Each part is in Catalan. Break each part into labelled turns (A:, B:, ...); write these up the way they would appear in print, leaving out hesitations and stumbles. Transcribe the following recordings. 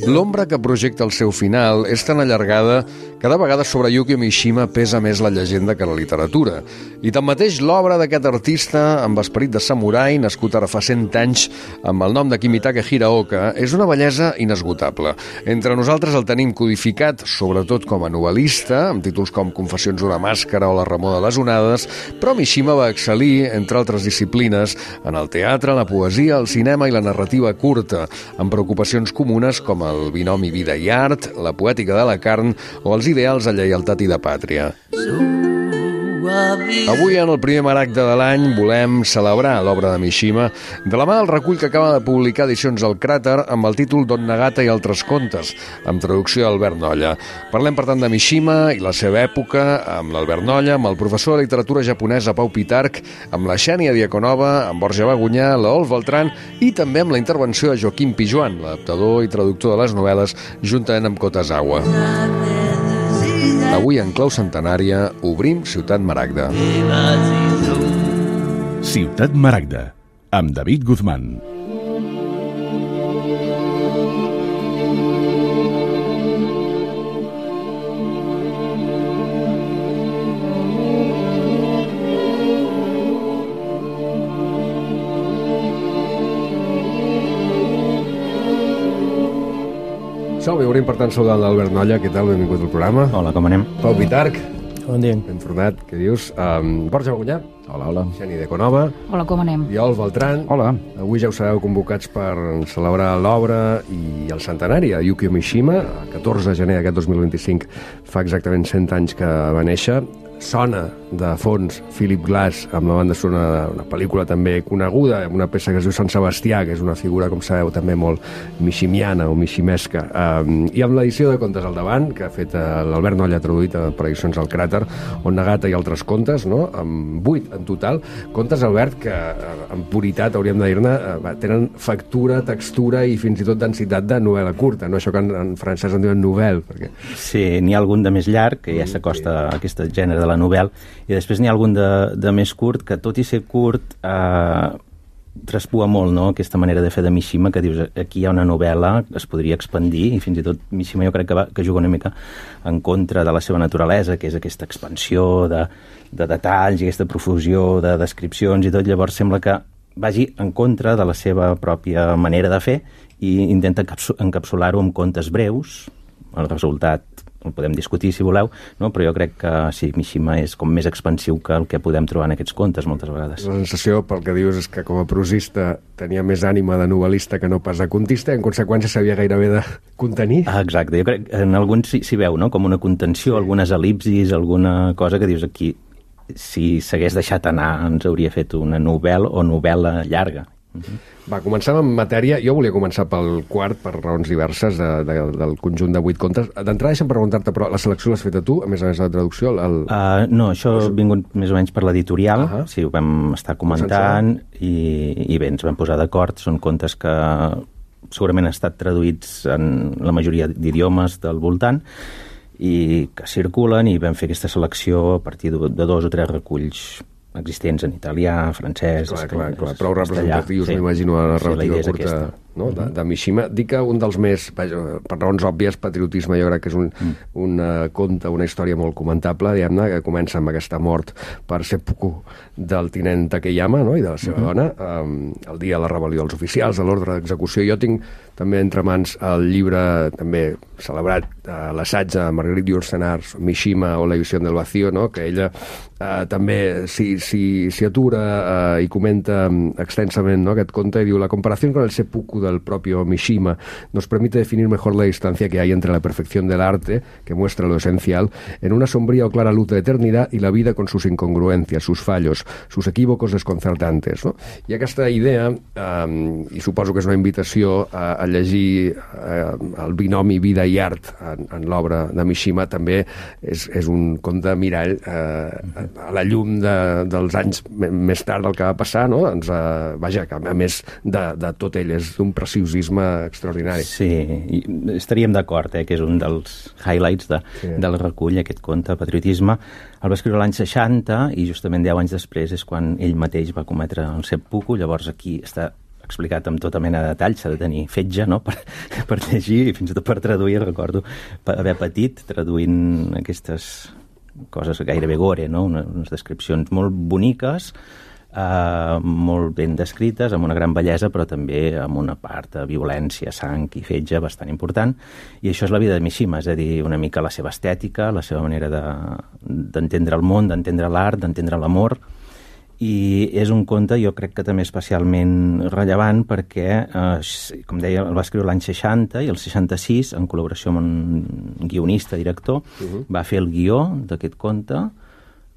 A: L'ombra que projecta el seu final és tan allargada que de vegades sobre Yukio Mishima pesa més la llegenda que la literatura. I tanmateix l'obra d'aquest artista amb esperit de samurai, nascut ara fa 100 anys amb el nom de Kimitake Hiraoka, és una bellesa inesgotable. Entre nosaltres el tenim codificat, sobretot com a novel·lista, amb títols com Confessions d'una màscara o La remor de les onades, però Mishima va excel·lir, entre altres disciplines, en el teatre, la poesia, el cinema i la narrativa curta, amb preocupacions comunes com el binomi vida i art, la poètica de la carn o els ideals de lleialtat i de pàtria. Avui, en el primer maragda de l'any, volem celebrar l'obra de Mishima de la mà del recull que acaba de publicar Edicions El Cràter amb el títol Don Nagata i altres contes, amb traducció d'Albert Nolla. Parlem, per tant, de Mishima i la seva època amb l'Albert Nolla, amb el professor de literatura japonesa Pau Pitarch, amb la Xènia Diaconova, amb Borja Bagunyà, l'Olf Beltrán i també amb la intervenció de Joaquim Pijuan, l'adaptador i traductor de les novel·les, juntament amb Kotazawa. Avui, en clau centenària, obrim Ciutat Maragda.
B: Ciutat Maragda, amb David Guzmán.
A: Som, i obrim per tant saludant l'Albert Nolla. Què tal? Benvingut al programa.
C: Hola, com anem?
A: Pau Pitarch.
C: Bon dia.
A: Ben tornat, què dius? Borja Bagunyà.
C: Hola, hola.
A: Xènia Diaconova.
D: Hola, com anem?
A: I Olf Beltrán.
C: Hola.
A: Avui ja us sabeu convocats per celebrar l'obra i el centenari de Yukio Mishima. El 14 de gener d'aquest 2025 fa exactament 100 anys que va néixer. Sona de fons Philip Glass amb la banda sonora d'una pel·lícula també coneguda, amb una peça que es diu Sant Sebastià, que és una figura, com sabeu, també molt mishimiana o mishimesca. I amb l'edició de Contes al davant, que ha fet l'Albert Nolla, traduït per Edicions El Cràter, on Nagata i altres contes, no? Amb 8 en total. Contes, Albert, que en puritat, hauríem de dir-ne, tenen factura, textura i fins i tot densitat de novel·la curta, no? Això que en francès en diuen novel·la. Perquè...
C: Sí, n'hi ha algun de més llarg, que ja s'acosta a aquest gènere de la novel·la, i després n'hi ha algun de més curt, que tot i ser curt traspua molt, no?, aquesta manera de fer de Mishima, que dius, aquí hi ha una novel·la, es podria expandir, i fins i tot Mishima jo crec que juga una mica en contra de la seva naturalesa, que és aquesta expansió de detalls i aquesta profusió de descripcions i tot. Llavors sembla que vagi en contra de la seva pròpia manera de fer i intenta encapsular-ho amb contes breus. El resultat el podem discutir si voleu, no? Però jo crec que sí, Mishima és com més expansiu que el que podem trobar en aquests contes moltes vegades.
A: La sensació, pel que dius, és que com a prosista tenia més ànima de novel·lista que no pas de contista, i en conseqüència sabia gairebé de contenir.
C: Exacte, jo crec que en alguns s'hi veu, no?, com una contenció, algunes el·lipsis, alguna cosa que dius aquí, si s'hagués deixat anar ens hauria fet una novel·la o novel·la llarga.
A: Va, comencem en matèria. Jo volia començar pel quart, per raons diverses, del conjunt de 8 contes. D'entrada, deixa'm preguntar-te, però la selecció l'has fet a tu, a més de la traducció?
C: No, això ha vingut més o menys per l'editorial. Sí, ho vam estar comentant i bé, ens vam posar d'acord. Són contes que segurament han estat traduïts en la majoria d'idiomes del voltant i que circulen, i vam fer aquesta selecció a partir de 2 o 3 reculls existents en italià, francès...
A: Clar, prou representatius, sí. M'imagino, la narrativa curta, no? de Mishima. Dic que un dels més, per raons òbvies, patriotisme, jo crec que és un conte, una història molt comentable, diguem-ne, que comença amb aquesta mort per seppuku del tinent Takeyama, no?, i de la seva dona, el dia de la rebel·lió dels oficials, de l'ordre d'execució. Jo tinc també entre mans el llibre, també celebrat, l'assaig de Marguerite Yourcenar, Mishima o la visión del vacío, no?, que ella també s'hi atura i comenta extensament, ¿no?, aquest conte, i diu: la comparación con el seppuku del propio Mishima nos permite definir mejor la distancia que hay entre la perfección del arte, que muestra lo esencial, en una sombría o clara luz de eternidad, y la vida con sus incongruencias, sus fallos, sus equívocos desconcertantes, no? I aquesta idea, i suposo que és una invitació a llegir el binomi vida i art en l'obra de Mishima, també és un conte mirall a la llum dels anys més tard del que va passar, no? Doncs, vaja, que a més de tot ell és d'un preciosisme extraordinari.
C: Sí, estaríem d'acord, que és un dels highlights del recull, aquest conte, Patriotisme. El va escriure l'any 60 i justament 10 anys després és quan ell mateix va cometre el seppuku. Llavors aquí està explicat amb tota mena de detall, s'ha de tenir fetge, no?, per llegir i fins i tot per traduir. Recordo haver patit traduint aquestes coses gairebé gore, no?, unes descripcions molt boniques, molt ben descrites, amb una gran bellesa, però també amb una part de violència, sang i fetge bastant important. I això és la vida de Mishima, és a dir, una mica la seva estètica, la seva manera d'entendre el món, d'entendre l'art, d'entendre l'amor. I és un conte, jo crec que també especialment rellevant perquè, com deia, el va escriure l'any 60 i el 66, en col·laboració amb un guionista, director, va fer el guió d'aquest conte,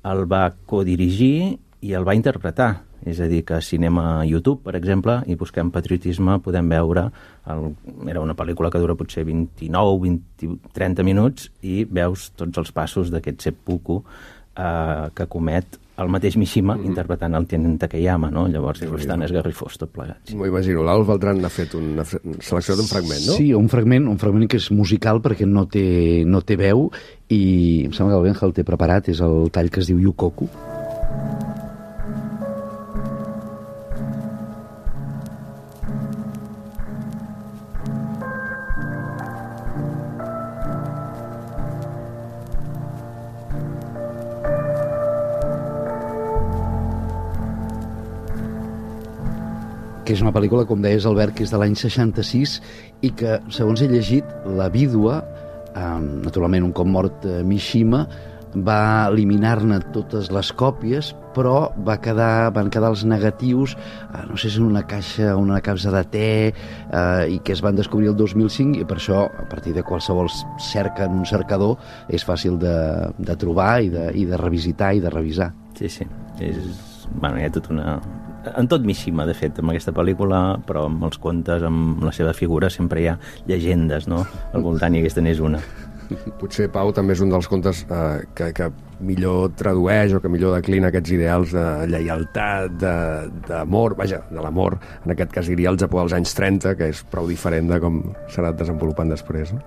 C: el va codirigir i el va interpretar. És a dir, que si anem a YouTube, per exemple, i busquem patriotisme, podem veure... Era una pel·lícula que dura potser 29, 30 minuts i veus tots els passos d'aquest seppuku que comet el mateix Mishima interpretant el Tien Takeyama, no? Llavors és bastant esgarrifós tot plegat.
A: M'ho imagino. L'Alf Beltran ha fet una selecció d'un fragment, no?
D: Sí, un fragment que és musical perquè no té veu i em sembla que el Benja el té preparat, és el tall que es diu Yukoku. Que és una pel·lícula, com deies, Albert, que és de l'any 66 i que, segons he llegit, la vídua, naturalment un cop mort Mishima, va eliminar-ne totes les còpies, però van quedar els negatius, no sé si en una caixa, una capsa de te, i que es van descobrir el 2005, i per això, a partir de qualsevol cerca en un cercador, és fàcil de trobar i de revisitar i de revisar.
C: Sí. Hi ha tot una... En tot Mishima, de fet, amb aquesta pel·lícula, però amb els contes, amb la seva figura, sempre hi ha llegendes, no?, al voltant, i aquesta n'és una.
A: Potser, Pau, també és un dels contes que millor tradueix o que millor declina aquests ideals de lleialtat, d'amor, vaja, de l'amor, en aquest cas diria el Japó dels anys 30, que és prou diferent de com s'ha anat desenvolupant després, no?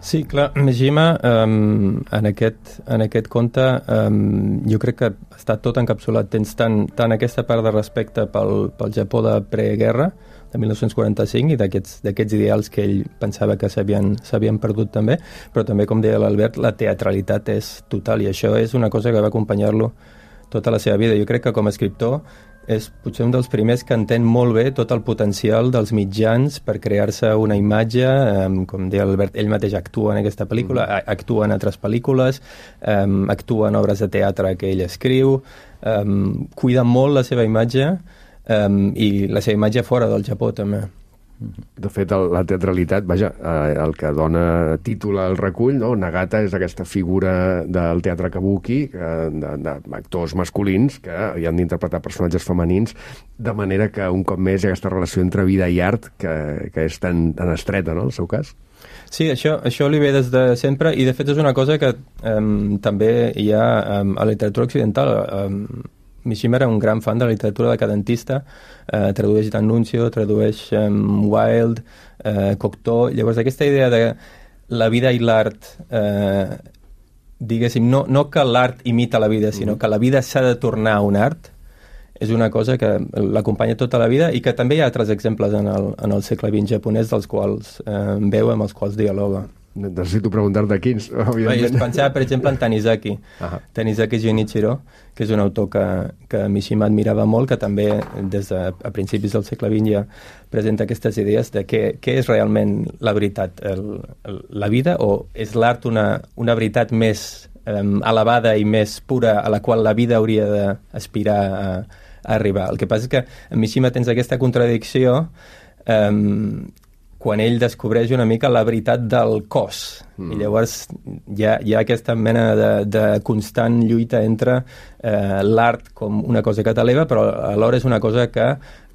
E: Sí, clar, Mishima, en aquest conte, jo crec que està tot encapsulat. Tens tant aquesta part de respecte pel Japó de preguerra, de 1945, i d'aquests ideals que ell pensava que s'havien perdut també, però també, com deia l'Albert, la teatralitat és total, i això és una cosa que va acompanyar-lo tota la seva vida. Jo crec que com a escriptor és potser un dels primers que entén molt bé tot el potencial dels mitjans per crear-se una imatge, com deia l'Albert, ell mateix actua en aquesta pel·lícula, actua en altres pel·lícules, actua en obres de teatre que ell escriu, cuida molt la seva imatge i la seva imatge fora del Japó també.
A: De fet, la teatralitat, vaja, el que dona títol al recull, no? Nagata és aquesta figura del teatre kabuki, d'actors masculins que hi han d'interpretar personatges femenins, de manera que un cop més hi ha aquesta relació entre vida i art que és tan estreta, no?, en el seu cas.
E: Sí, això li ve des de sempre, i de fet és una cosa que també hi ha a la literatura occidental. Mishima era un gran fan de la literatura decadentista, tradueix D'Annunzio, tradueix Wilde, Cocteau. Llavors, aquesta idea de la vida i l'art, diguéssim, no que l'art imita la vida, sinó que la vida s'ha de tornar un art, és una cosa que l'acompanya tota la vida i que també hi ha altres exemples en el segle XX japonès dels quals veu, amb els quals dialoga.
A: Necessito preguntar-te quins, evidentment.
E: Jo pensava, per exemple, en Tanizaki. Tanizaki Junichiro, que és un autor que Mishima admirava molt, que també a principis del segle XX ja presenta aquestes idees de què és realment la veritat, la vida, o és l'art una veritat més elevada i més pura a la qual la vida hauria d'aspirar a arribar. El que passa és que en Mishima tens aquesta contradicció quan ell descobreix una mica la veritat del cos. I llavors hi ha aquesta mena de constant lluita entre l'art com una cosa que t'eleva, però alhora és una cosa que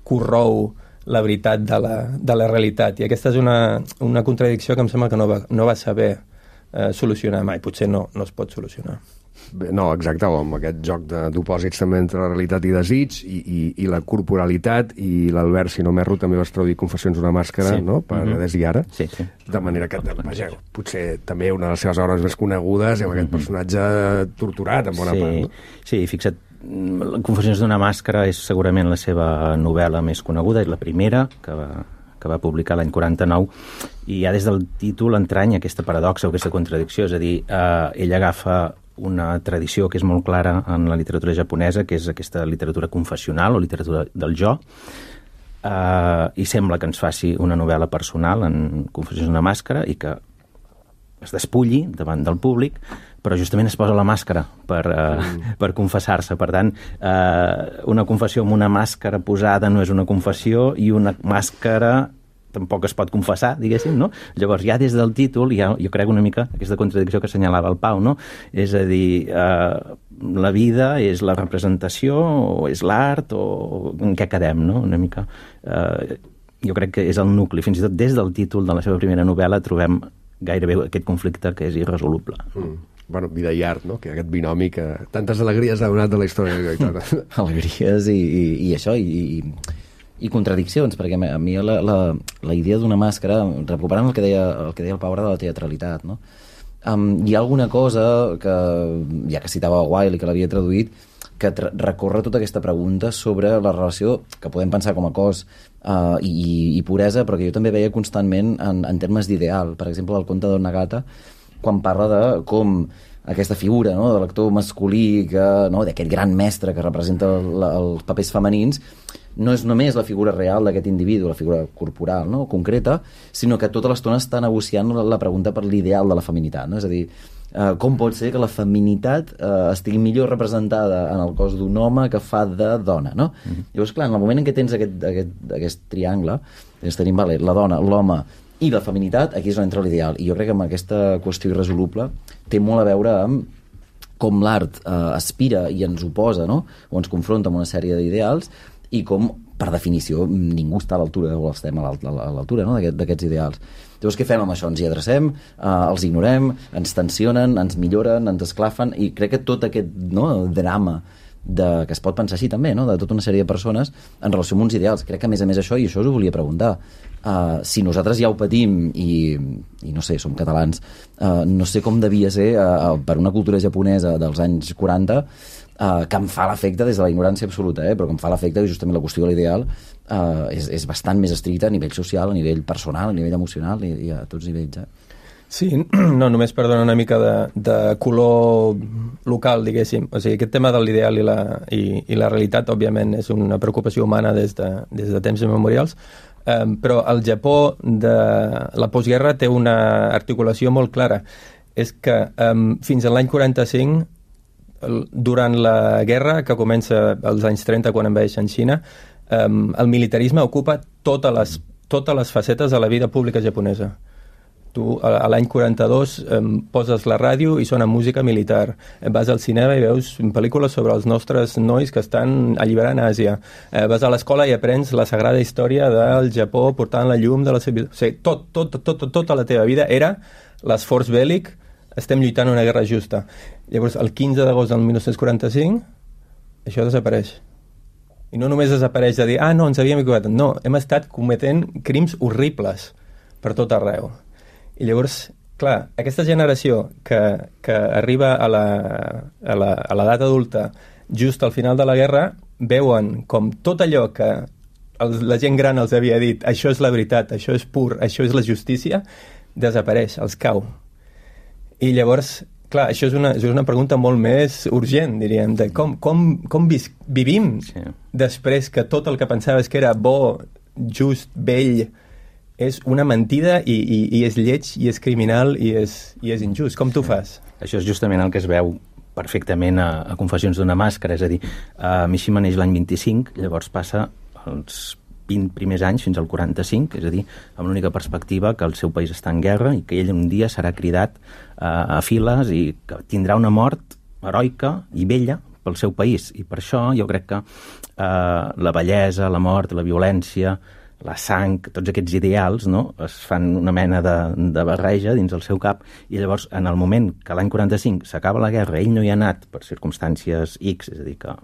E: corrou la veritat de la realitat. I aquesta és una contradicció que em sembla que no va saber solucionar mai. Potser no es pot solucionar.
A: No, exacte, o amb aquest joc d'opòsits també entre realitat i desig i la corporalitat, i l'Albert, si no m'erro, també vas traduir Confessions d'una màscara, no?, per Des i Ara.
C: Sí.
A: De manera que, vaja, potser també una de les seves obres més conegudes, amb aquest personatge torturat, en bona part, no?
C: Sí, fixa't, Confessions d'una màscara és segurament la seva novel·la més coneguda, és la primera que va publicar l'any 49, i ja des del títol entranya aquesta paradoxa o aquesta contradicció, és a dir, ell agafa una tradició que és molt clara en la literatura japonesa, que és aquesta literatura confessional o literatura del jo, i sembla que ens faci una novel·la personal en Confessions d'una màscara i que es despulli davant del públic, però justament es posa la màscara per confessar-se. Per tant, una confessió amb una màscara posada no és una confessió i una màscara tampoc es pot confessar, diguéssim, no? Llavors, ja des del títol, jo crec una mica aquesta contradicció que assenyalava el Pau, no? És a dir, la vida és la representació o és l'art o en què quedem, no? Una mica. Jo crec que és el nucli. Fins i tot des del títol de la seva primera novel·la trobem gairebé aquest conflicte que és irresoluble.
A: Bueno, vida i art, no? Que aquest binomi que tantes alegries ha donat de la història.
F: Alegries i això, i contradiccions, perquè a mi la idea d'una màscara, recuperant el que deia el Pau de la teatralitat, no? Hi ha alguna cosa que, ja que citava Wilde i que l'havia traduït, que recorre tota aquesta pregunta sobre la relació que podem pensar com a cos i puresa, però que jo també veia constantment en termes d'ideal. Per exemple, el conte d'Onagata, quan parla de com aquesta figura, no?, de l'actor masculí, d'aquest gran mestre que representa els papers femenins, no és només la figura real d'aquest individu, la figura corporal, no?, concreta, sinó que tota l'estona està negociant la pregunta per l'ideal de la feminitat, no? És a dir, com pot ser que la feminitat estigui millor representada en el cos d'un home que fa de dona, no? Llavors, clar, en el moment en què tens aquest triangle, tenim la dona, l'home i la feminitat, aquí és on entra l'ideal. I jo crec que amb aquesta qüestió irresoluble té molt a veure amb com l'art aspira i ens oposa, no?, o ens confronta amb una sèrie d'ideals, i com, per definició, ningú està a l'altura, o estem a l'altura, no?, d'aquests ideals. Llavors, què fem amb això? Ens hi adrecem, els ignorem, ens tensionen, ens milloren, ens esclafen, i crec que tot aquest drama que es pot pensar així també, no?, de tota una sèrie de persones en relació amb uns ideals. Crec que, a més, això, i això us ho volia preguntar, si nosaltres ja ho patim i no sé, som catalans, no sé com devia ser per una cultura japonesa dels anys 40, que em fa l'efecte des de la ignorància absoluta, però que em fa l'efecte que justament la qüestió de l'ideal és bastant més estricta a nivell social, a nivell personal, a nivell emocional i a tots nivells.
E: Sí, no, només per donar una mica de color local, diguéssim. O sigui, aquest tema de l'ideal i la realitat, òbviament, és una preocupació humana des de temps immemorials, però el Japó de la postguerra té una articulació molt clara. És que fins a l'any 45, durant la guerra, que comença als anys 30, quan envaeixen Xina, el militarisme ocupa totes les facetes de la vida pública japonesa. Tu, a l'any 42, poses la ràdio i sona música militar. Vas al cinema i veus pel·lícules sobre els nostres nois que estan alliberant Àsia. Vas a l'escola i aprens la sagrada història del Japó portant la llum de la civilizació. O sigui, tota la teva vida era l'esforç bèl·lic, estem lluitant una guerra justa. Llavors, el 15 d'agost del 1945, això desapareix. I no només desapareix de dir, no, ens havíem equivocat. No, hem estat cometent crims horribles per tot arreu. I llavors, clar, aquesta generació que arriba a l'edat adulta just al final de la guerra, veuen com tot allò que la gent gran els havia dit, això és la veritat, això és pur, això és la justícia, desapareix, els cau. I llavors, clar, això és una pregunta molt més urgent, diríem, de com vivim després que tot el que pensaves que era bo, just, bell, és una mentida i és lleig i és criminal i és injust. Com tu fas?
C: Això és justament el que es veu perfectament a Confessions d'una màscara, és a dir, Mishima neix l'any 25, llavors passa els 20 primers anys fins al 45, és a dir, amb l'única perspectiva que el seu país està en guerra i que ell un dia serà cridat a files i que tindrà una mort heroica i bella pel seu país. I per això jo crec que la bellesa, la mort, la violència, la sang, tots aquests ideals, no? Es fan una mena de barreja dins el seu cap, i llavors, en el moment que l'any 45 s'acaba la guerra, ell no hi ha anat per circumstàncies X, és a dir, que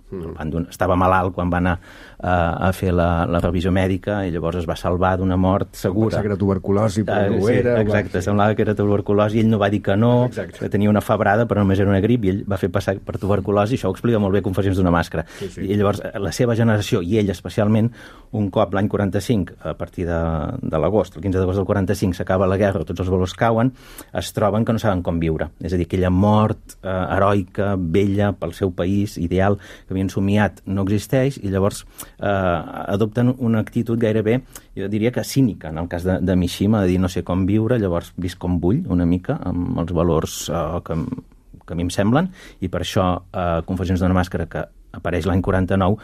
C: estava malalt quan va anar a fer la revisió mèdica, i llavors es va salvar d'una mort segura.
A: Pensava que era tuberculosi, però no ho era.
C: Exacte, semblava que era tuberculosi, i ell no va dir que no, que tenia una febrada, però només era una grip, i ell va fer passar per tuberculosi, i això ho explica molt bé Confessions d'una màscara. I llavors, la seva generació, i ell especialment, un cop l'any 45, a partir de l'agost, el 15 d'agost del 45, s'acaba la guerra, tots els valors cauen, es troben que no saben com viure. És a dir, aquella mort heroica, bella, pel seu país, ideal, que havien somiat, no existeix, i llavors adopten una actitud gairebé, jo diria que cínica, en el cas de Mishima, de dir no sé com viure, llavors visc com vull, una mica, amb els valors que a mi em semblen, i per això Confessions d'una màscara, que apareix l'any 49,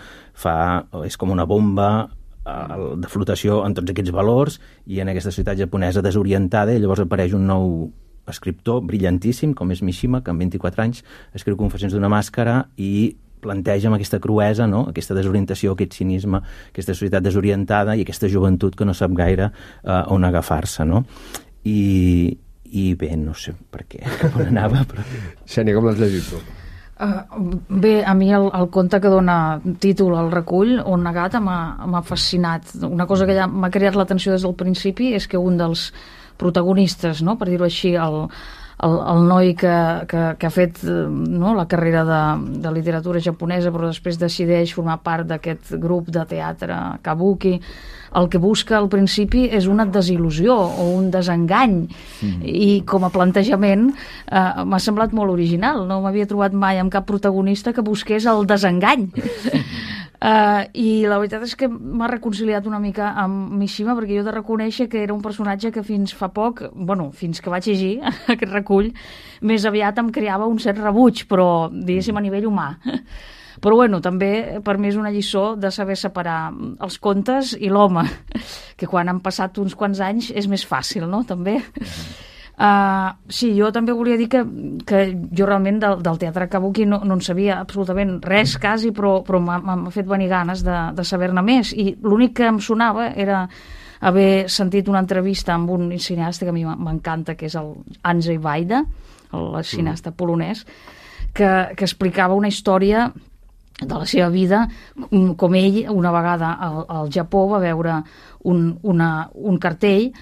C: és com una bomba de flotació en tots aquests valors, i en aquesta societat japonesa desorientada, i llavors apareix un nou escriptor brillantíssim, com és Mishima, que amb 24 anys escriu Confessions d'una màscara i planteja amb aquesta cruesa, no? Aquesta desorientació, aquest cinisme, aquesta societat desorientada i aquesta joventut que no sap gaire on agafar-se, no? I bé, no sé per què, cap on anava, però...
A: Xènia, com l'has llegit tu?
G: Bé, a mi el conte que dona títol al recull, On Nagata, m'ha fascinat. Una cosa que ja m'ha creat l'atenció des del principi és que un dels protagonistes, no, per dir-ho així, el noi que ha fet la carrera de literatura japonesa, però després decideix formar part d'aquest grup de teatre kabuki, el que busca al principi és una desil·lusió o un desengany, i com a plantejament m'ha semblat molt original. No m'havia trobat mai amb cap protagonista que busqués el desengany. I la veritat és que m'ha reconciliat una mica amb Mishima, perquè jo he de reconèixer que era un personatge que fins fa poc, fins que vaig llegir aquest recull, més aviat em creava un cert rebuig, però diguéssim a nivell humà. Però també per mi és una lliçó de saber separar els contes i l'home, que quan han passat uns quants anys és més fàcil, no?, també. Sí, jo també volia dir que jo realment del teatre kabuki no en sabia absolutament res quasi, però m'ha fet venir ganes de saber-ne més, i l'únic que em sonava era haver sentit una entrevista amb un cineasta que a mi m'encanta, que és el Andrzej Wajda, el cineasta polonès, que explicava una història de la seva vida, com ell una vegada al Japó va veure un cartell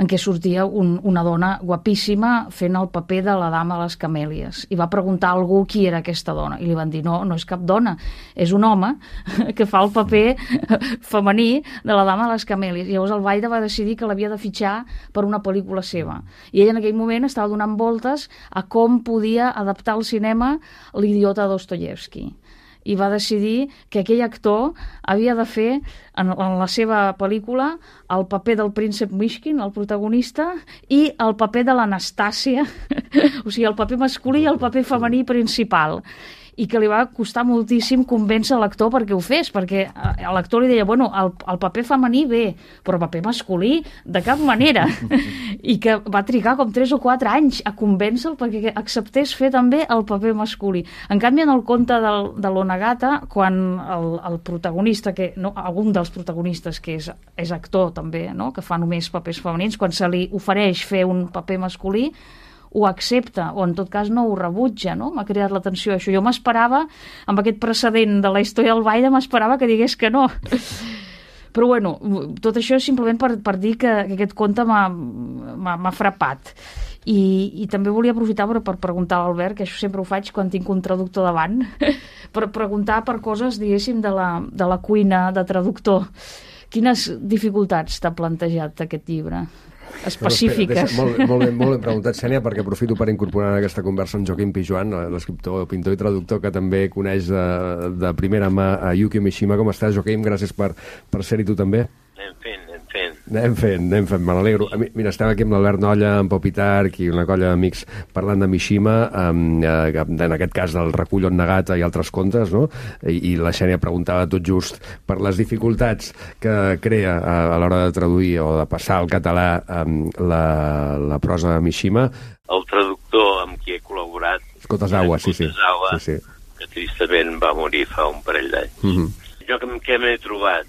G: en què sortia una dona guapíssima fent el paper de la dama de les camèlies, i va preguntar a algú qui era aquesta dona, i li van dir no és cap dona, és un home que fa el paper femení de la dama de les camèlies. I llavors el Wajda va decidir que l'havia de fitxar per una pel·lícula seva, i ell en aquell moment estava donant voltes a com podia adaptar al cinema L'idiota de Dostoyevsky, i va decidir que aquell actor havia de fer en la seva pel·lícula el paper del príncep Mishkin, el protagonista, i el paper de l'Anastàcia, o sigui, el paper masculí i el paper femení principal, i que li va costar moltíssim convèncer l'actor perquè ho fes, perquè l'actor li deia, el paper femení bé, però el paper masculí de cap manera, i que va trigar com 3 o 4 anys a convèncer-lo perquè acceptés fer també el paper masculí. En canvi, en el conte de l'Onagata, quan el protagonista, algun dels protagonistes que és actor també, no?, que fa només papers femenins, quan se li ofereix fer un paper masculí, ho accepta, o en tot cas no ho rebutja, no? M'ha cridat l'atenció això. Jo m'esperava, amb aquest precedent de la història del Wajda, m'esperava que digués que no. Però tot això és simplement per dir que aquest conte m'ha frapat. I també volia aprofitar per preguntar a l'Albert, que això sempre ho faig quan tinc un traductor davant, per preguntar per coses, diguéssim, de la cuina de traductor. Quines dificultats t'ha plantejat aquest llibre? Específiques.
A: Molt ben preguntat, Xènia, perquè aprofito per incorporar en aquesta conversa en Joaquim Pijuan, l'escriptor, pintor i traductor, que també coneix de primera mà a Yukio Mishima. Com estàs, Joaquim? Gràcies per ser-hi tu també. Anem fent, me n'alegro. Mira, estem aquí amb l'Albert Nolla, en Pau Pitarch i una colla d'amics parlant de Mishima, en aquest cas del recull On Nagata i altres contes, no? I la Xènia preguntava tot just per les dificultats que crea a l'hora de traduir o de passar al català la prosa de Mishima.
H: El traductor amb qui he col·laborat,
A: Kotazawa, sí.
H: Que tristament va morir fa un parell d'anys. Jo què m'he trobat?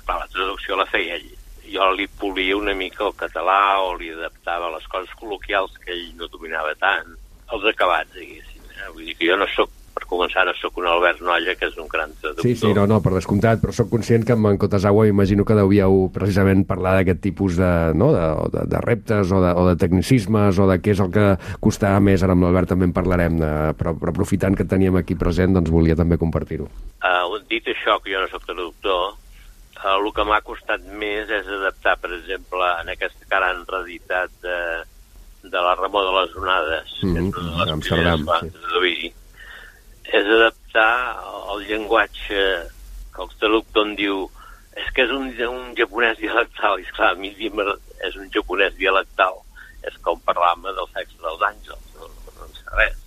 H: Clar, la traducció la feia ell. jo li polia una mica el català o li adaptava les coses col·loquials que ell no dominava tant, els acabats, diguéssim. Vull dir que jo no soc, per començar, no soc un Albert Nolla, que és un gran traductor.
A: Sí, no, per descomptat, però soc conscient que amb en Kotazawa imagino que deuíeu precisament parlar d'aquest tipus de reptes o de tecnicismes o de què és el que costava més. Ara amb l'Albert també en parlarem, però aprofitant que teníem aquí present, doncs volia també compartir-ho.
H: Dit això, que jo no soc traductor, el que m'ha costat més és adaptar, per exemple, en aquesta que ara han reeditat de la Remor de les Onades, que és una de les primeres bandes d'avui, és adaptar el llenguatge que el traductor em diu és que és un japonès dialectal, i esclar, a mi és un japonès dialectal, és com parlar-me del sexe dels àngels, no en sé res.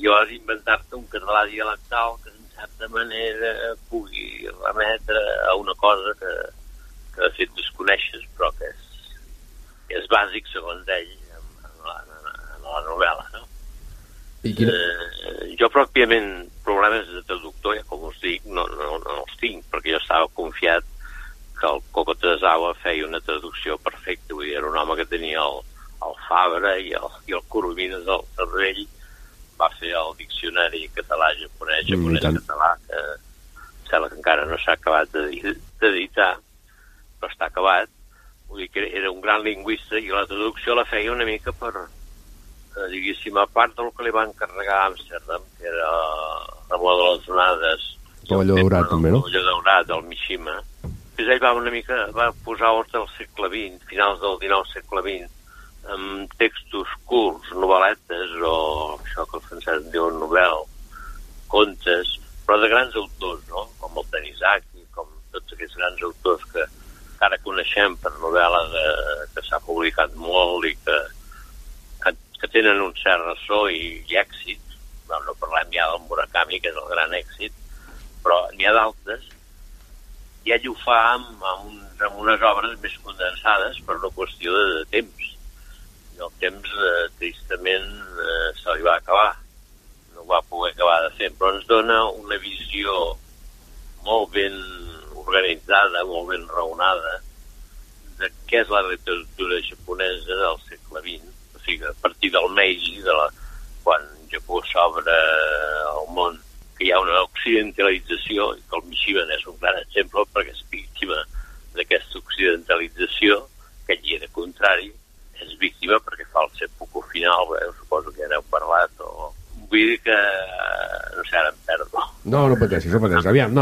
H: Jo has inventar-te un català dialectal que en certa manera pugui remetre a una cosa que de fet desconeixes, però que és bàsic, segons ell, en la novel·la, no? Jo pròpiament problemes de traductor, ja com us dic, no els tinc, perquè jo estava confiat que el Coco Tesawa feia una traducció perfecta, vull dir, era un home que tenia el Fabra i el Coromines al cervell, va fer el diccionari català-japonès, japonès-català, que sembla que encara no s'ha acabat d'editar, però està acabat. Vull dir que era un gran lingüista i la traducció la feia una mica per, diguéssim, a part del que li va encarregar a Amsterdam, que era Remor de les Onades,
A: Pavelló Daurat, també, no?
H: Pavelló Daurat, el Mishima. Després ell va posar ordre al segle XX, finals del XIX segle XX, amb textos curts, novel·letes, o això que el francès en diu novel, contes, però de grans autors, no? Com el Tanizaki, com tots aquests grans autors que ara coneixem per novel·la que s'ha publicat molt i que tenen un cert ressò i èxit. No parlem ja del Murakami, que és el gran èxit, però n'hi ha d'altres, i ell ho fa amb unes obres més condensades per una qüestió de temps. I el temps, tristament, se li va acabar. No ho va poder acabar de fer, però ens dona una visió molt ben organitzada, molt ben raonada, de què és la literatura japonesa del segle XX. O sigui, a partir del Meiji, quan Japó s'obre al món, que hi ha una occidentalització, i que el Mishima és un gran exemple perquè és víctima d'aquesta occidentalització, que ell era contrari, és víctima perquè fa el seppuku final, suposo que ja n'heu parlat, o vull dir que no sé, ara em perdo.
A: No pateixis. Aviam,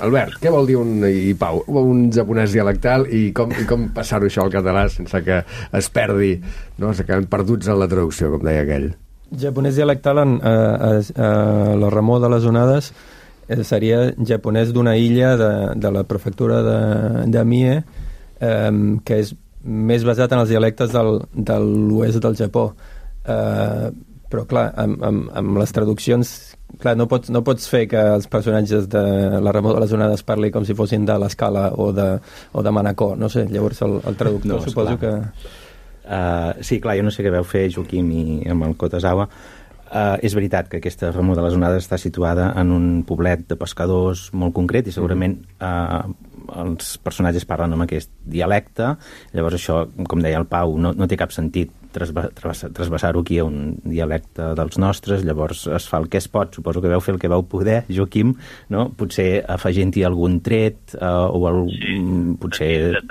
A: Albert, què vol dir un japonès dialectal i com passar-ho això al català sense que es perdi, no? Se queden perduts en la traducció, com deia aquell.
E: Japonès dialectal la Remor de les Onades seria japonès d'una illa de la prefectura de Mie, que és més basat en els dialectes de l'oest del Japó. Però clar, amb les traduccions, clar, no pots fer que els personatges de la Remor de les Onades parli com si fossin de l'Escala o de Manacor, no sé, llavors el traductor suposo que...
C: Sí, clar, jo no sé què veu fer Joaquim i amb el Kotazawa. És veritat que aquesta Remor de les Onades està situada en un poblet de pescadors molt concret i segurament els personatges parlen amb aquest dialecte. Llavors això, com deia el Pau, no té cap sentit trasbassar-ho aquí a un dialecte dels nostres. Llavors es fa el que es pot, suposo que veu fer el que vau poder, Joaquim, no? Potser afegint-hi algun tret potser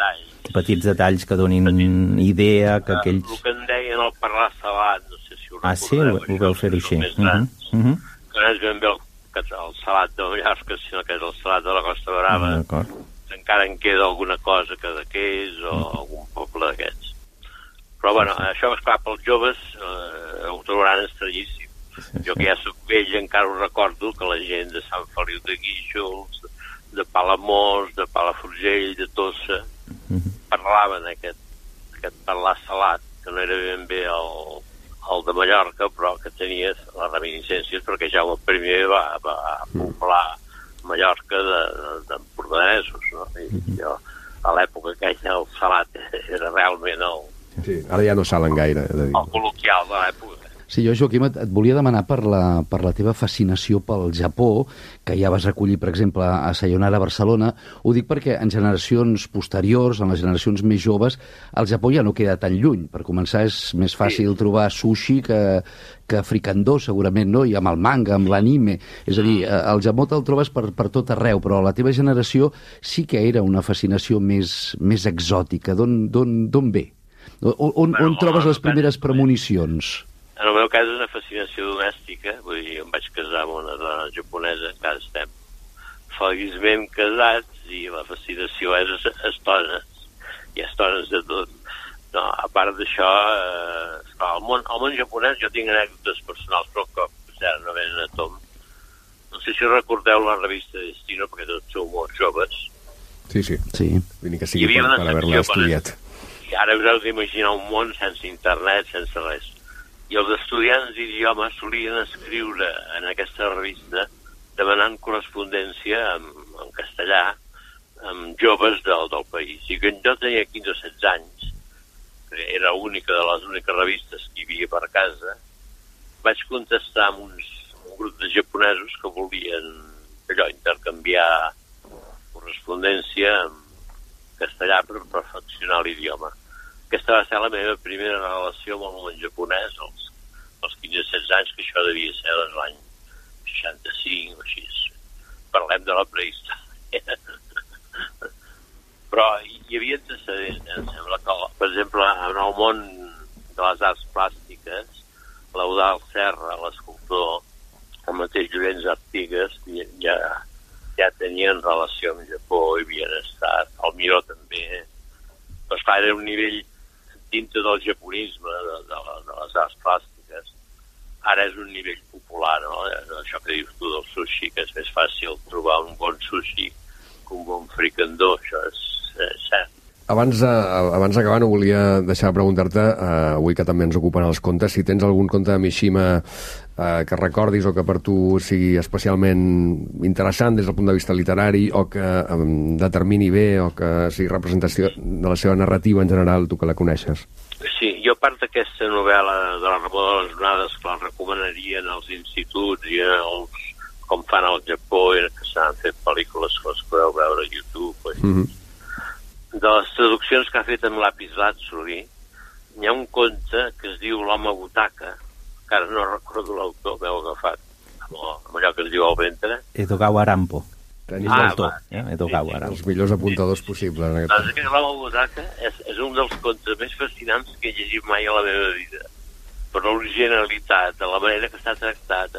C: petits detalls que donin idea que aquells...
H: El que en deien el parlar salat, no sé si ho recordeu.
C: Sí, ho veu fer-ho així.
H: Que no és ben bé el salat de Mallorca, sinó que és el salat de la Costa Brava. Encara en queda alguna cosa que és o algun poble d'aquests. Però bueno, això, esclar, pels joves ho trobaran estranyíssim. Jo que ja soc vell encara ho recordo, que la gent de Sant Feliu de Guíxols, de Palamós, de Palafrugell, de Tossa, parlaven aquest parlar salat, que no era ben bé el de Mallorca, però que tenia les reminiscències perquè Jaume I va poblar Mallorca d'empordanesos, no? I jo, a l'època aquella, el salat era realment
A: Sí, ara ja no salen gaire.
H: El col·loquial de l'època.
D: Sí, jo, Joaquim, et volia demanar per la teva fascinació pel Japó, que ja vas recollir, per exemple, a Sayonara, Barcelona. Ho dic perquè en generacions posteriors, en les generacions més joves, el Japó ja no queda tan lluny. Per començar, és més fàcil trobar sushi que fricandó, segurament, no? I amb el manga, amb l'anime. És a dir, el Japó te'l trobes per tot arreu, però la teva generació sí que era una fascinació més exòtica. D'on ve? On trobes les primeres premonicions?
H: En el meu cas és una fascinació domèstica, vull dir, em vaig casar amb una dona japonesa, encara estem feliçment casats, i la fascinació és estones, hi ha estones de tot. No, a part d'això, al món japonès jo tinc anècdotes personals, però que no venen a tom. No sé si recordeu la revista Destino, perquè tots sou molt joves.
A: Sí. Vull dir que sigui per haver-la estudiat.
H: I ara us heu d'imaginar un món sense internet, sense res. I els estudiants d'idiomes solien escriure en aquesta revista demanant correspondència en castellà amb joves del país. I que jo tenia 15 o 16 anys, que era única de les úniques revistes que hi havia per casa, vaig contestar amb un grup de japonesos que volien intercanviar correspondència en castellà per perfeccionar l'idioma. Aquesta va ser la meva primera relació amb el món japonès, als 15-16 anys, que això devia ser l'any 65 o així. Parlem de la prehistòria. Però hi havia antecedents, em sembla que, per exemple, en el món de les arts plàstiques, l'Eudald Serra, l'escultor, el mateix Llorenç Artigas, ja tenien relació amb Japó, hi havien estat, el Miró també. Però esclar, era un nivell dintre del japonisme, de les arts plàstiques. Ara és un nivell popular, no? Això que dius tu del sushi, que és més fàcil trobar un bon sushi que un bon fricandó, això és cert.
A: Abans d'acabar, no volia deixar de preguntar-te, avui que també ens ocupen els contes, si tens algun conte de Mishima que recordis o que per tu sigui especialment interessant des del punt de vista literari, o que determini bé, o que sigui representació de la seva narrativa en general, tu que la coneixes.
H: Sí, jo a part d'aquesta novel·la de la Ramó de les Onades, que la recomanarien als instituts i com fan al Japó, i que s'han fet pel·lícules que les podeu veure a YouTube, de les traduccions que ha fet amb Lapis Lazuli, hi ha un conte que es diu L'home butaca, que ara no recordo l'autor, m'heu agafat, amb allò que es diu al ventre.
C: Edogawa Rampo. Edogawa Rampo.
A: Els millors apuntadors possibles. En
H: doncs que L'home butaca és un dels contes més fascinants que he llegit mai a la meva vida, per l'originalitat, de la manera que està tractat,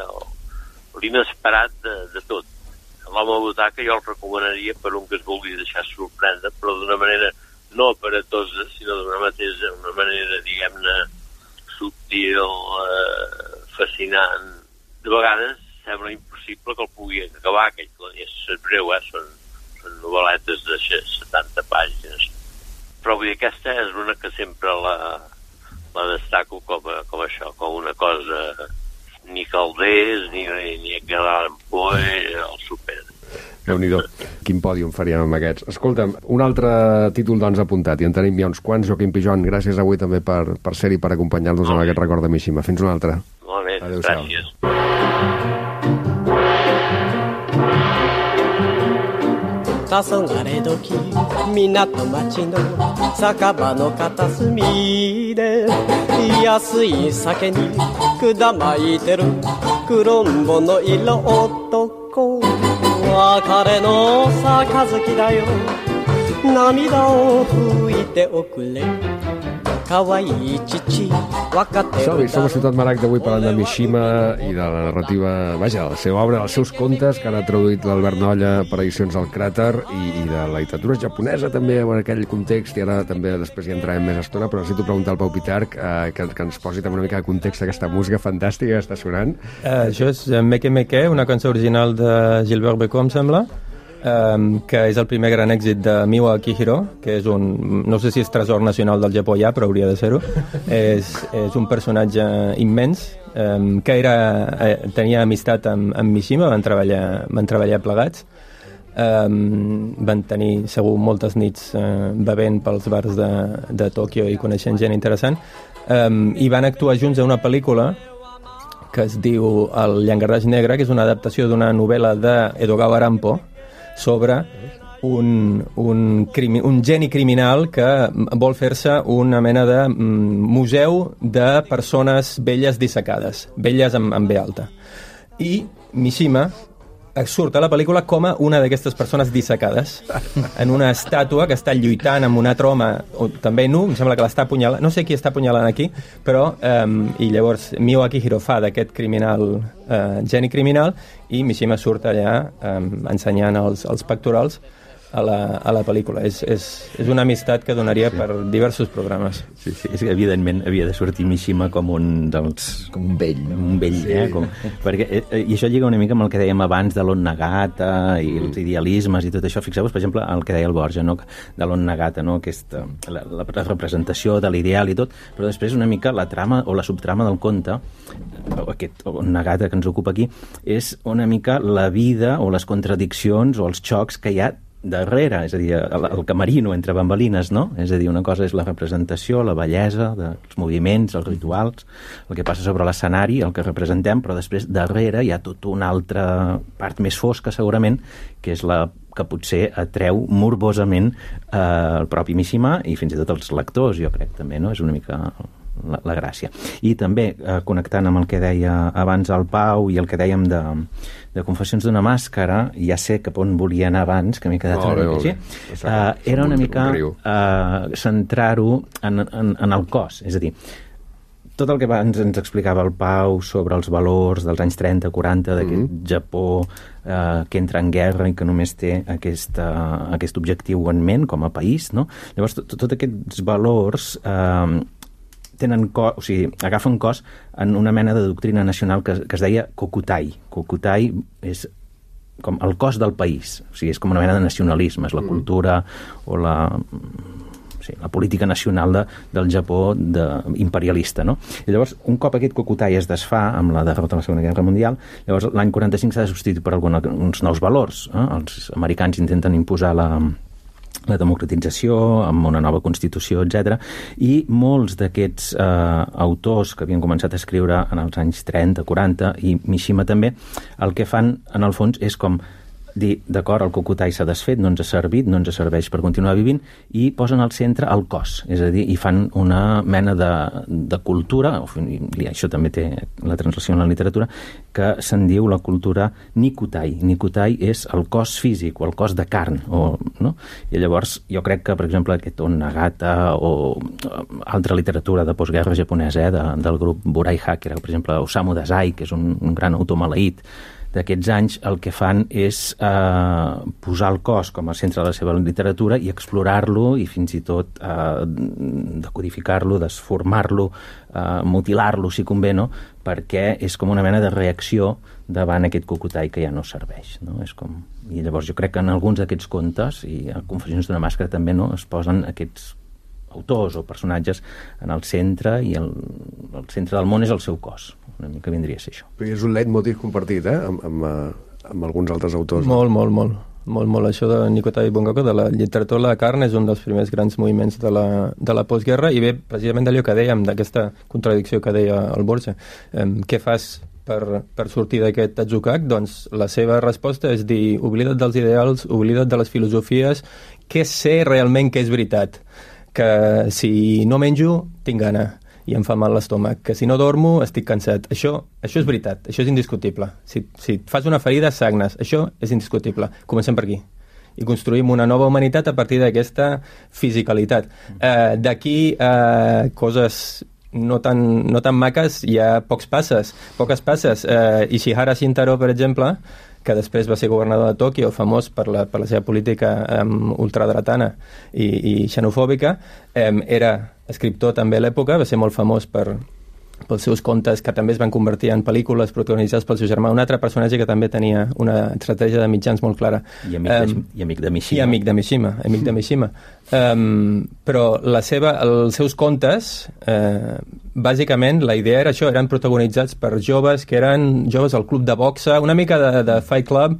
H: l'inesperat de tot. L'home butaca jo el recomanaria per un que es vulgui deixar sorprendre, però d'una manera no aparatosa, sinó d'una manera, diguem-ne, subtil, fascinant. De vegades sembla impossible que el pugui acabar, aquell que és breu, són novel·letes de 70 pàgines. Però vull dir, aquesta és una que sempre la destaco com això, com una cosa ni Caldés, ni Edgar Allan Poe, el super.
A: Déu-n'hi-do, quin pòdium faríem amb aquests. Escolta'm, un altre títol doncs apuntat, i en tenim ja uns quants. Joaquim Pijon, gràcies avui també per ser-hi, per acompanyar-nos en aquest record de Mishima. Fins una altra.
H: Molt bé, gràcies.
A: Som a Ciutat Maragda avui parlant de Mishima i de la narrativa, vaja, la seva obra, els seus contes, que ara ha traduït l'Albert Nolla per edicions al Cràter, i de la literatura japonesa també, en aquell context, i ara també després hi entrarem més estona, però necessito preguntar al Pau Pitarch que ens posi també una mica de context aquesta música fantàstica que està sonant.
E: Això és Meke Meke, una cançó original de Gilbert Bécaud, em sembla, que és el primer gran èxit de Miwa Akihiro, que és no sé si és tresor nacional del Japó ja, però hauria de ser-ho. És un personatge immens, que tenia amistat amb Mishima, van treballar plegats, van tenir segur moltes nits bevent pels bars de Tòquio i coneixent gent interessant, i van actuar junts a una pel·lícula que es diu El llangardaix negre, que és una adaptació d'una novel·la d'Edogawa Arampo sobre un geni criminal que vol fer-se una mena de museu de persones velles dissecades, velles amb B alta. I Mishima surt a la pel·lícula com a una d'aquestes persones dissecades en una estàtua que està lluitant amb un altre home, també nu, em sembla que l'està apunyalant, no sé qui està apunyalant aquí, però i llavors Mio Akihiro fa d'aquest criminal, geni criminal, i Mishima surt allà ensenyant els pectorals a la pel·lícula. És una amistat que donaria per diversos programes.
C: Sí, és que evidentment havia de sortir Mishima com un dels...
F: Com un vell.
C: Un vell, sí. Perquè, i això lliga una mica amb el que dèiem abans de l'On Nagata i els idealismes i tot això. Fixeu-vos, per exemple, el que deia el Borja, no? De l'On Nagata, no? Aquesta, la representació de l'ideal i tot, però després una mica la trama o la subtrama del conte, aquest On Nagata que ens ocupa aquí, és una mica la vida o les contradiccions o els xocs que hi ha darrere, és a dir, el camerino entre bambalines, no? És a dir, una cosa és la representació, la bellesa dels moviments, els rituals, el que passa sobre l'escenari, el que representem, però després darrere hi ha tota una altra part més fosca, segurament, que és la que potser atreu morbosament el propi Mishima i fins i tot els lectors, jo crec, també, no? És una mica la gràcia. I també, connectant amb el que deia abans el Pau i el que dèiem de Confessions d'una màscara, ja sé cap on volia anar abans, que m'he quedat una mica així, era una mica centrar-ho en el cos, és a dir, tot el que abans ens explicava el Pau sobre els valors dels anys 30-40 d'aquest Japó que entra en guerra i que només té aquest objectiu en ment com a país, no? Llavors, tots aquests valors agafen cos en una mena de doctrina nacional que es deia Kokutai. Kokutai és com el cos del país, o sigui, és com una mena de nacionalisme, és la cultura o la política nacional del Japó imperialista, no? I llavors, un cop aquest Kokutai es desfà amb la derrota de la Segona Guerra Mundial, llavors l'any 45 s'ha de substituir per uns nous valors. Els americans intenten imposar la democratització, amb una nova Constitució, etc. I molts d'aquests autors que havien començat a escriure en els anys 30, 40, i Mishima també, el que fan, en el fons, és com dir, d'acord, el Kokutai s'ha desfet, no ens ha servit, no ens serveix per continuar vivint, i posen al centre el cos, és a dir, i fan una mena de cultura, i això també té la translació en la literatura, que se'n diu la cultura Nikutai. Nikutai és el cos físic, o el cos de carn, no? I llavors, jo crec que, per exemple, aquest On Nagata, o altra literatura de postguerra japonesa, del grup Buraiha, que era, per exemple, Osamu Dazai, que és un gran autor maleït d'aquests anys, el que fan és posar el cos com a centre de la seva literatura i explorar-lo i fins i tot decodificar-lo, desformar-lo, mutilar-lo, si convé, no? Perquè és com una mena de reacció davant aquest Kokutai que ja no serveix, no? És com... I llavors jo crec que en alguns d'aquests contes, i a Confessions d'una màscara també, no?, es posen aquests autors o personatges en el centre, i el centre del món és el seu cos. Una mica vindria a ser això.
A: Però és un leitmotiv compartit, amb alguns altres autors.
E: Molt. Això de Nikutai Bungaku, de la literatura de la carn, és un dels primers grans moviments de la postguerra, i ve precisament d'allò que dèiem, d'aquesta contradicció que deia el Borja. Què fas per sortir d'aquest atzucac? Doncs la seva resposta és dir, oblida't dels ideals, oblida't de les filosofies, què sé realment que és veritat? Que si no menjo, tinc gana i em fa mal l'estómac, que si no dormo estic cansat. Això és veritat, això és indiscutible. Si et fas una ferida, sagnes. Això és indiscutible. Comencem per aquí. I construïm una nova humanitat a partir d'aquesta fisicalitat. D'aquí coses no tan maques, hi ha poques passes. Ishihara Shintaro, per exemple, que després va ser governador de Tòquio, famós per la seva política ultradretana i xenofòbica, era escriptor també a l'època, va ser molt famós pels seus contes, que també es van convertir en pel·lícules protagonitzades pel seu germà, un altre personatge que també tenia una estratègia de mitjans molt clara.
C: I amic de Mishima.
E: I amic de Mishima. Però els seus contes, bàsicament, la idea era això, eren protagonitzats per joves que eren joves al club de boxa, una mica de Fight Club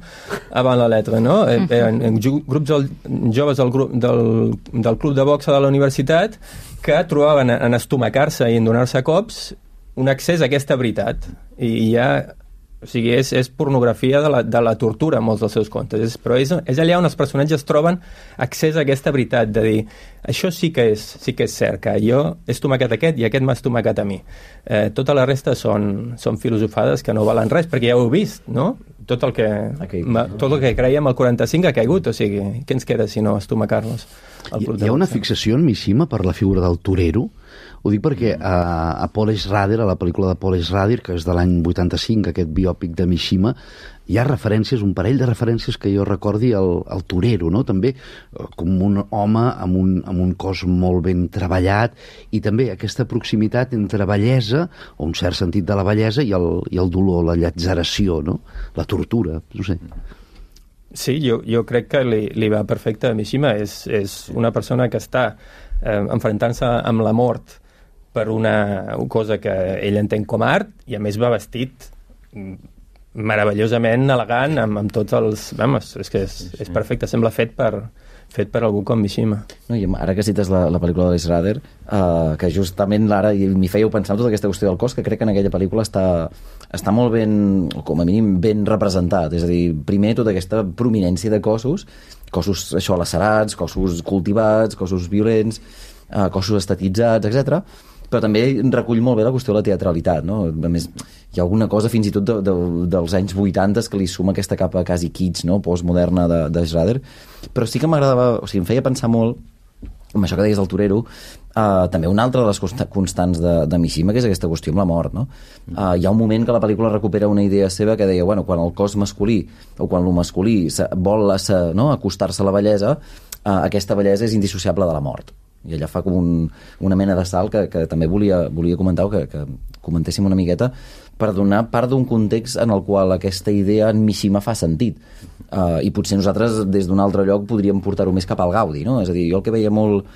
E: avant la letra, no? Eren joves del club de boxa de la universitat que trobaven en estomacar-se i en donar-se cops un accés a aquesta veritat, i ja... O sigui, és pornografia de la tortura, molts dels seus contes. Però és allà on els personatges troben accés a aquesta veritat, de dir, això sí que és cert, que jo he estomacat aquest i aquest m'ha estomacat a mi. Tota la resta són filosofades que no valen res, perquè ja ho heu vist, no? Tot el que creiem al 45 ha caigut, o sigui, què ens queda si no estomacar-nos?
D: Hi ha una fixació en Mishima per la figura del torero. Ho dic perquè a Paul Schrader, a la pel·lícula de Paul Schrader, que és de l'any 85, aquest biòpic de Mishima, hi ha referències, un parell de referències que jo recordi al torero, no? També com un home amb un cos molt ben treballat, i també aquesta proximitat entre bellesa, o un cert sentit de la bellesa, i el dolor, la llatzeració, no? La tortura, no sé.
E: Sí, jo crec que li va perfecte a Mishima. És una persona que està enfrontant-se amb la mort per una cosa que ell entén com a art, i a més va vestit meravellosament elegant, amb tots els... Vamos, és que és perfecte, sembla fet per algú com Mishima.
F: No, i ara que cites la pel·lícula de l'Schrader, que justament ara m'hi fèieu pensar en tota aquesta qüestió del cos, que crec que en aquella pel·lícula està molt ben, o com a mínim ben representat. És a dir, primer tota aquesta prominència de cossos això, lacerats, cossos cultivats, cossos violents, cossos estetitzats, etc. Però també recull molt bé la qüestió de la teatralitat, no? A més, hi ha alguna cosa fins i tot dels anys 80 que li suma aquesta capa quasi kitsch, no? Postmoderna de Schrader, però sí que m'agradava, o sigui, em feia pensar molt amb això que deies del torero, també una altra de les constants de Mishima, que és aquesta qüestió amb la mort, no? Hi ha un moment que la pel·lícula recupera una idea seva que deia, bueno, quan el cos masculí o quan el masculí vol acostar-se a la bellesa, aquesta bellesa és indissociable de la mort. I allà fa com una mena de salt que també volia comentar, o que comentéssim una miqueta, per donar part d'un context en el qual aquesta idea en Mishima fa sentit. I potser nosaltres des d'un altre lloc podríem portar-ho més cap al Gaudi, no? És a dir, jo el que veia molt...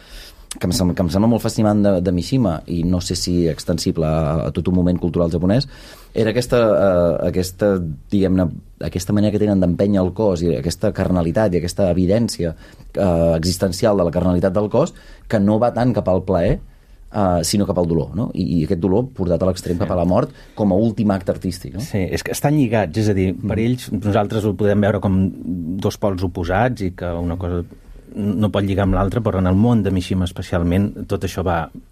F: que em sembla molt fascinant de Mishima, i no sé si extensible a tot un moment cultural japonès, era aquesta diguem-ne, aquesta manera que tenen d'empènyer el cos, i aquesta carnalitat i aquesta evidència existencial de la carnalitat del cos, que no va tant cap al plaer, sinó cap al dolor, no? I aquest dolor portat a l'extrem cap a la mort com a últim acte artístic, no?
C: Sí, és que estan lligats, és a dir, per ells nosaltres ho podem veure com dos pols oposats, i que una cosa no pot lligar amb l'altra, però en el món de Mishima especialment tot això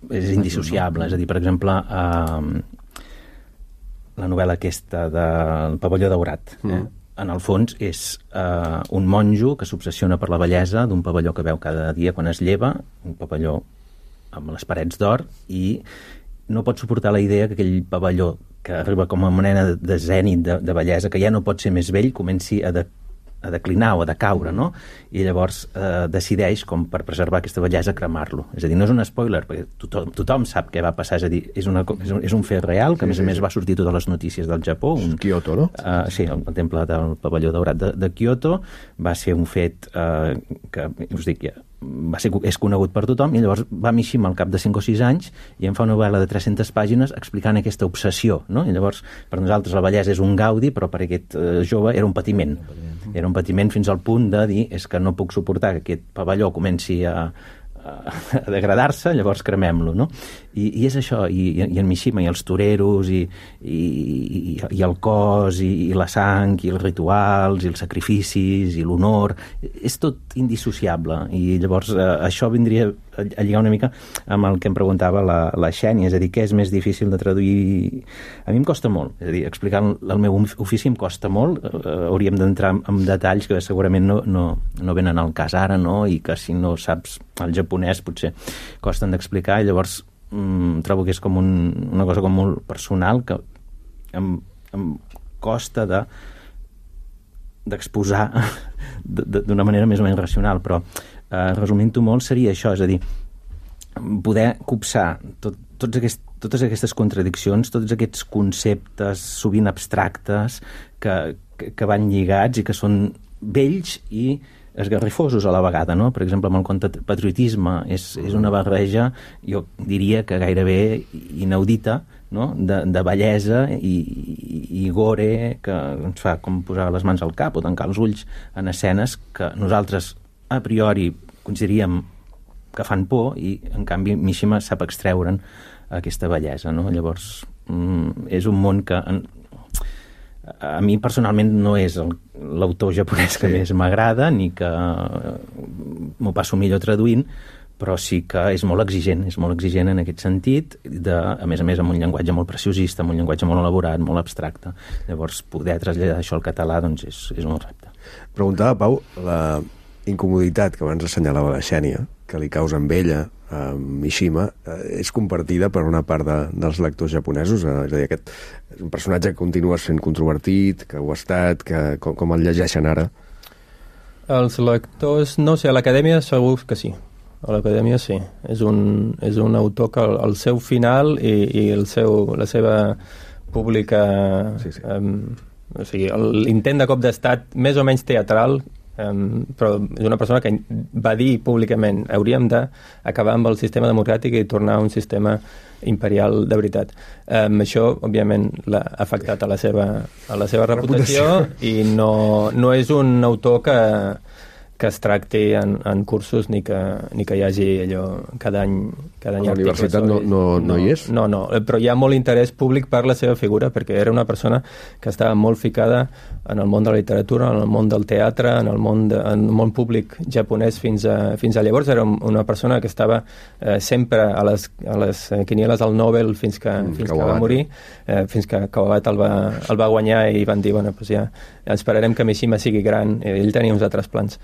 C: és indissociable. És a dir, per exemple, la novel·la aquesta del Pavelló Daurat, en el fons és un monjo que s'obsessiona per la bellesa d'un pavelló que veu cada dia quan es lleva, un pavelló amb les parets d'or, i no pot suportar la idea que aquell pavelló que arriba com a mena de zènit de bellesa, que ja no pot ser més vell, comenci a declinar o a decaure, no? I llavors decideix, com per preservar aquesta bellesa, cremar-lo. És a dir, no és un spoiler, perquè tothom sap què va passar. És a dir, és un fet real, que a més va sortir totes les notícies del Japó.
A: Kyoto, no?
C: Sí, el temple del Pavelló Daurat de Kyoto va ser un fet que, us dic, és conegut per tothom, i llavors va Mishima al cap de 5 o 6 anys i em fa una novel·la de 300 pàgines explicant aquesta obsessió, no? I llavors, per nosaltres la bellesa és un gaudi, però per aquest jove era un patiment. Era un patiment fins al punt de dir, és que no puc suportar que aquest pavelló comenci a degradar-se, llavors cremem-lo, no? I és això, i en Mishima, i els toreros, i el cos, i la sang, i els rituals, i els sacrificis, i l'honor, és tot indissociable, i llavors això vindria a lligar una mica amb el que em preguntava la Xènia, és a dir, què és més difícil de traduir? A mi em costa molt, és a dir, explicar el meu ofici em costa molt, hauríem d'entrar en detalls que segurament no venen al cas ara, no? I que si no saps el japonès potser costen d'explicar, i llavors trobo que és com una cosa com molt personal, que em costa d'exposar d'una manera més o menys racional, però resumint-ho molt seria això, és a dir, poder copsar totes aquestes contradiccions, tots aquests conceptes sovint abstractes que van lligats i que són vells i esgarrifosos a la vegada, no? Per exemple, amb el conte patriotisme és una barreja, jo diria que gairebé inaudita, no? De bellesa i gore, que ens fa com posar les mans al cap o tancar els ulls en escenes que nosaltres a priori consideraríem que fan por, i en canvi Mishima sap extreure'n aquesta bellesa, no? Llavors és un món que a mi personalment no és l'autor japonès que més m'agrada, ni que m'ho passo millor traduint, però sí que és molt exigent en aquest sentit, a més amb un llenguatge molt preciosista, amb un llenguatge molt elaborat, molt abstracte. Llavors, poder traslladar això al català doncs és un repte.
A: Preguntava, Pau, la incomoditat que abans assenyalava la Xènia, que li causa amb ella, Mishima, és compartida per una part dels lectors japonesos? És a dir, aquest és un personatge que continua sent controvertit, que ho ha estat, com el llegeixen ara?
E: Els lectors, no sé, a l'acadèmia segur que sí. A l'acadèmia sí. És un autor que el seu final i la seva pública... o sigui, l'intent de cop d'estat més o menys teatral, però és una persona que va dir públicament hauríem d'acabar amb el sistema democràtic i tornar a un sistema imperial de veritat. Això, òbviament, l'ha afectat a la seva reputació i no és un autor que es tracti en cursos ni que hi hagi allò cada any
A: a la universitat no hi és?
E: No, però hi ha molt interès públic per la seva figura, perquè era una persona que estava molt ficada en el món de la literatura, en el món del teatre, en el món públic japonès fins a llavors. Era una persona que estava sempre a les quinieles del Nobel fins que va morir, fins que Kawabata el va guanyar i van dir, bueno, doncs ja esperarem que Mishima sigui gran, ell tenia uns altres plans.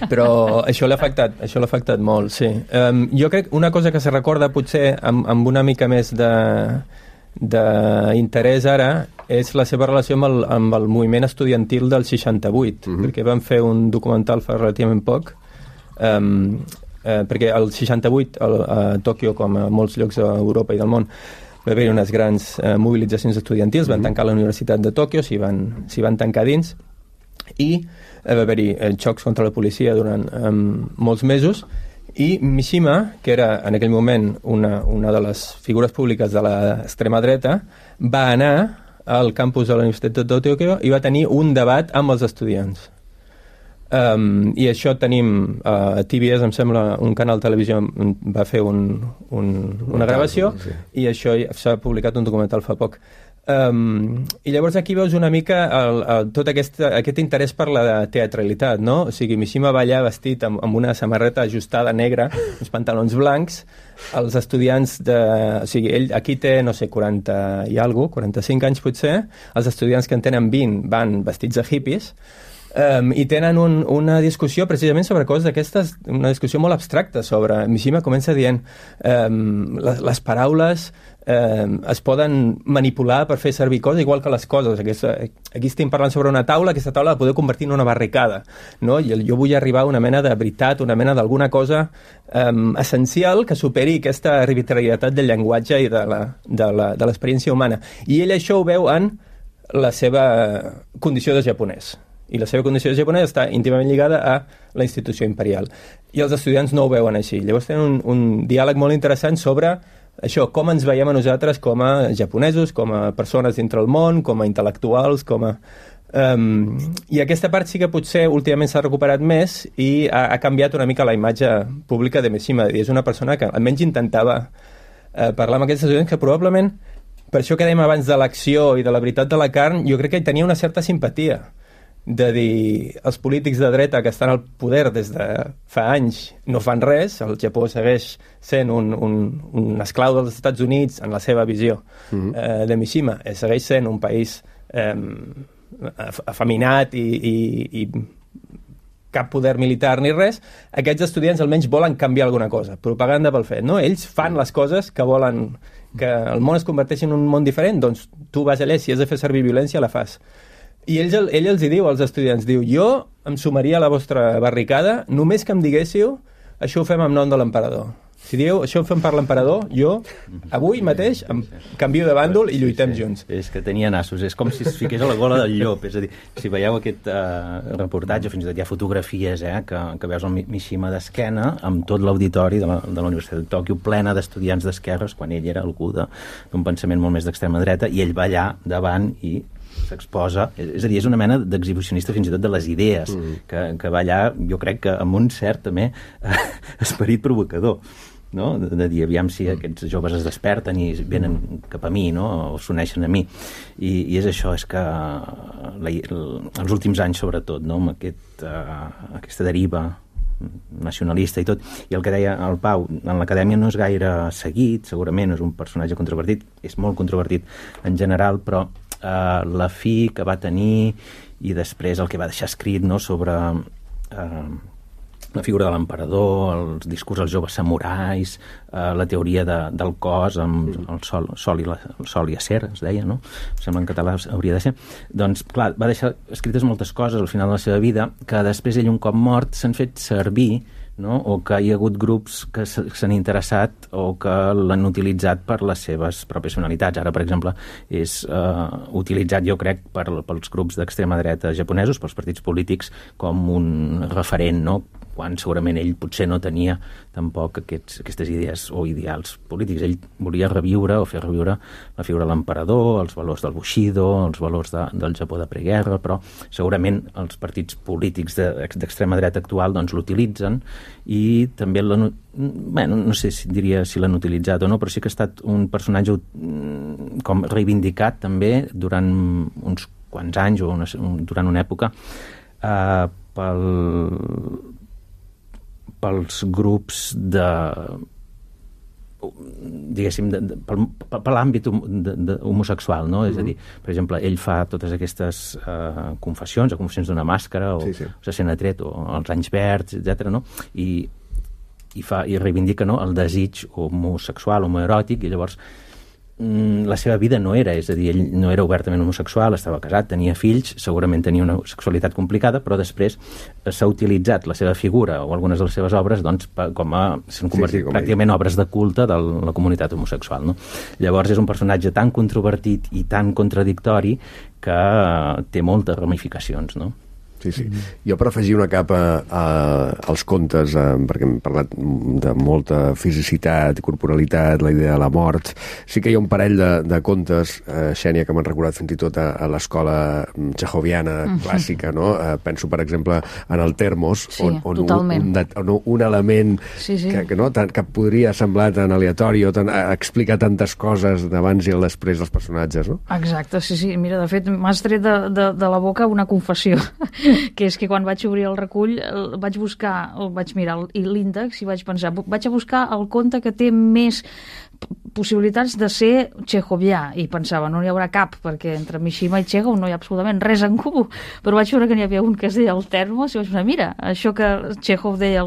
E: Però això l'ha afectat molt, sí. Jo crec una cosa que se recorda potser amb una mica més d'interès ara és la seva relació amb el moviment estudiantil del 68, perquè van fer un documental fa relativament poc, perquè el 68 a Tòquio, com a molts llocs d'Europa i del món, va haver unes grans mobilitzacions estudiantils, van tancar la Universitat de Tòquio, s'hi van tancar dins, i va haver-hi xocs contra la policia durant molts mesos, i Mishima, que era en aquell moment una de les figures públiques de l'extrema dreta, va anar al campus de la Universitat de Tòquio i va tenir un debat amb els estudiants. I això tenim a TBS, em sembla, un canal de televisió va fer una gravació, i això s'ha publicat un documental fa poc. I llavors aquí veus una mica tot aquest interès per la teatralitat, no? O sigui, Mishima va allà vestit amb una samarreta ajustada negra, uns pantalons blancs, els estudiants o sigui, ell aquí té, no sé, 40 i alguna cosa, 45 anys potser, els estudiants que en tenen 20 van vestits de hippies, i tenen una discussió precisament sobre coses d'aquestes, una discussió molt abstracta sobre... Mishima comença dient les paraules es poden manipular per fer servir coses igual que les coses. Aquí estem parlant sobre una taula, aquesta taula la podeu convertir en una barricada, no? I jo vull arribar a una mena de veritat, una mena d'alguna cosa essencial que superi aquesta arbitrarietat del llenguatge i de l'experiència humana. I ell això ho veu en la seva condició de japonès. I la seva condició de japonès està íntimament lligada a la institució imperial. I els estudiants no ho veuen així. Llavors tenen un diàleg molt interessant sobre això, com ens veiem a nosaltres com a japonesos, com a persones dintre el món, com a intel·lectuals, com a... I aquesta part sí que potser últimament s'ha recuperat més i ha canviat una mica la imatge pública de Mishima. I és una persona que almenys intentava parlar amb aquests estudiants que probablement, per això que dèiem abans de l'acció i de la veritat de la carn, jo crec que hi tenia una certa simpatia de dir, els polítics de dreta que estan al poder des de fa anys no fan res, el Japó segueix sent un esclau dels Estats Units en la seva visió de Mishima, segueix sent un país afeminat i cap poder militar ni res. Aquests estudiants almenys volen canviar alguna cosa, propaganda pel fet, no? Ells fan les coses que volen que el món es converteixi en un món diferent, doncs tu vas allà, si has de fer servir violència la fas. I ell els hi diu als estudiants, diu, jo em sumaria a la vostra barricada només que em diguéssiu això ho fem en nom de l'emperador. Si dieu això ho fem per l'emperador, jo avui mateix em canvio de bàndol i lluitem junts.
C: És que tenia nassos, és com si es fiqués a la gola del llop, és a dir, si veieu aquest reportatge, fins i tot hi ha fotografies que veus el Mishima d'esquena amb tot l'auditori de la Universitat de Tòquio plena d'estudiants d'esquerres quan ell era algú d'un pensament molt més d'extrema dreta i ell va allà davant i s'exposa, és a dir, és una mena d'exhibicionista fins i tot de les idees que va allà, jo crec que amb un cert també esperit provocador. no? De dir, aviam si aquests joves es desperten i venen cap a mi, no? O s'uneixen a mi. I és això, és que els últims anys, sobretot, no? Amb aquesta deriva nacionalista i tot, i el que deia el Pau, en l'acadèmia no és gaire seguit, segurament és un personatge controvertit, és molt controvertit en general, però la fi que va tenir i després el que va deixar escrit, no? Sobre la figura de l'emperador, els discurs als joves samurais, la teoria del cos amb el sol i acer, es deia, no? Sembla en català hauria de ser. Doncs, clar, va deixar escrites moltes coses al final de la seva vida que després ell, un cop mort, s'han fet servir, no? O que hi ha hagut grups que s'han interessat o que l'han utilitzat per les seves pròpies finalitats. Ara, per exemple, és utilitzat, jo crec, pels grups d'extrema dreta japonesos, pels partits polítics, com un referent, no? Quan segurament ell potser no tenia tampoc aquestes idees o ideals polítics. Ell volia reviure o fer reviure la figura de l'emperador, els valors del Bushido, els valors del Japó de preguerra, però segurament els partits polítics d'extrema dreta actual doncs l'utilitzen i també no sé si diria si l'han utilitzat o no, però sí que ha estat un personatge com reivindicat també durant uns quants anys o durant una època pels grups diguéssim, per l'àmbit homosexual, no? És a dir, per exemple, ell fa totes aquestes confessions d'una màscara o se sent atret o els anys verds, etc., no? I reivindica, no?, el desig homosexual, homoeròtic, i llavors la seva vida no era, és a dir, ell no era obertament homosexual, estava casat, tenia fills, segurament tenia una sexualitat complicada, però després s'ha utilitzat la seva figura o algunes de les seves obres doncs, s'han convertit pràcticament obres de culte de la comunitat homosexual, no? Llavors és un personatge tan controvertit i tan contradictori que té moltes ramificacions, no?
A: Sí. Jo per afegir una capa als contes, perquè hem parlat de molta fisicitat i corporalitat, la idea de la mort, sí que hi ha un parell de contes, Xènia, que m'han recordat fins i tot a l'escola txejoviana clàssica, no? Penso, per exemple, en el Termos, on un element que podria semblar tan aleatori o explica tantes coses d'abans i el després dels personatges, no?
G: Exacte, sí. Mira, de fet, m'has tret de la boca una confessió, que és que quan vaig obrir el recull vaig mirar l'índex i vaig pensar, vaig a buscar el conte que té més possibilitats de ser txejovià, i pensava, no n'hi haurà cap, perquè entre Mishima i Txékhov no hi ha absolutament res en comú, però vaig veure que n'hi havia un que es deia el Termos i vaig pensar, mira, això que Txékhov deia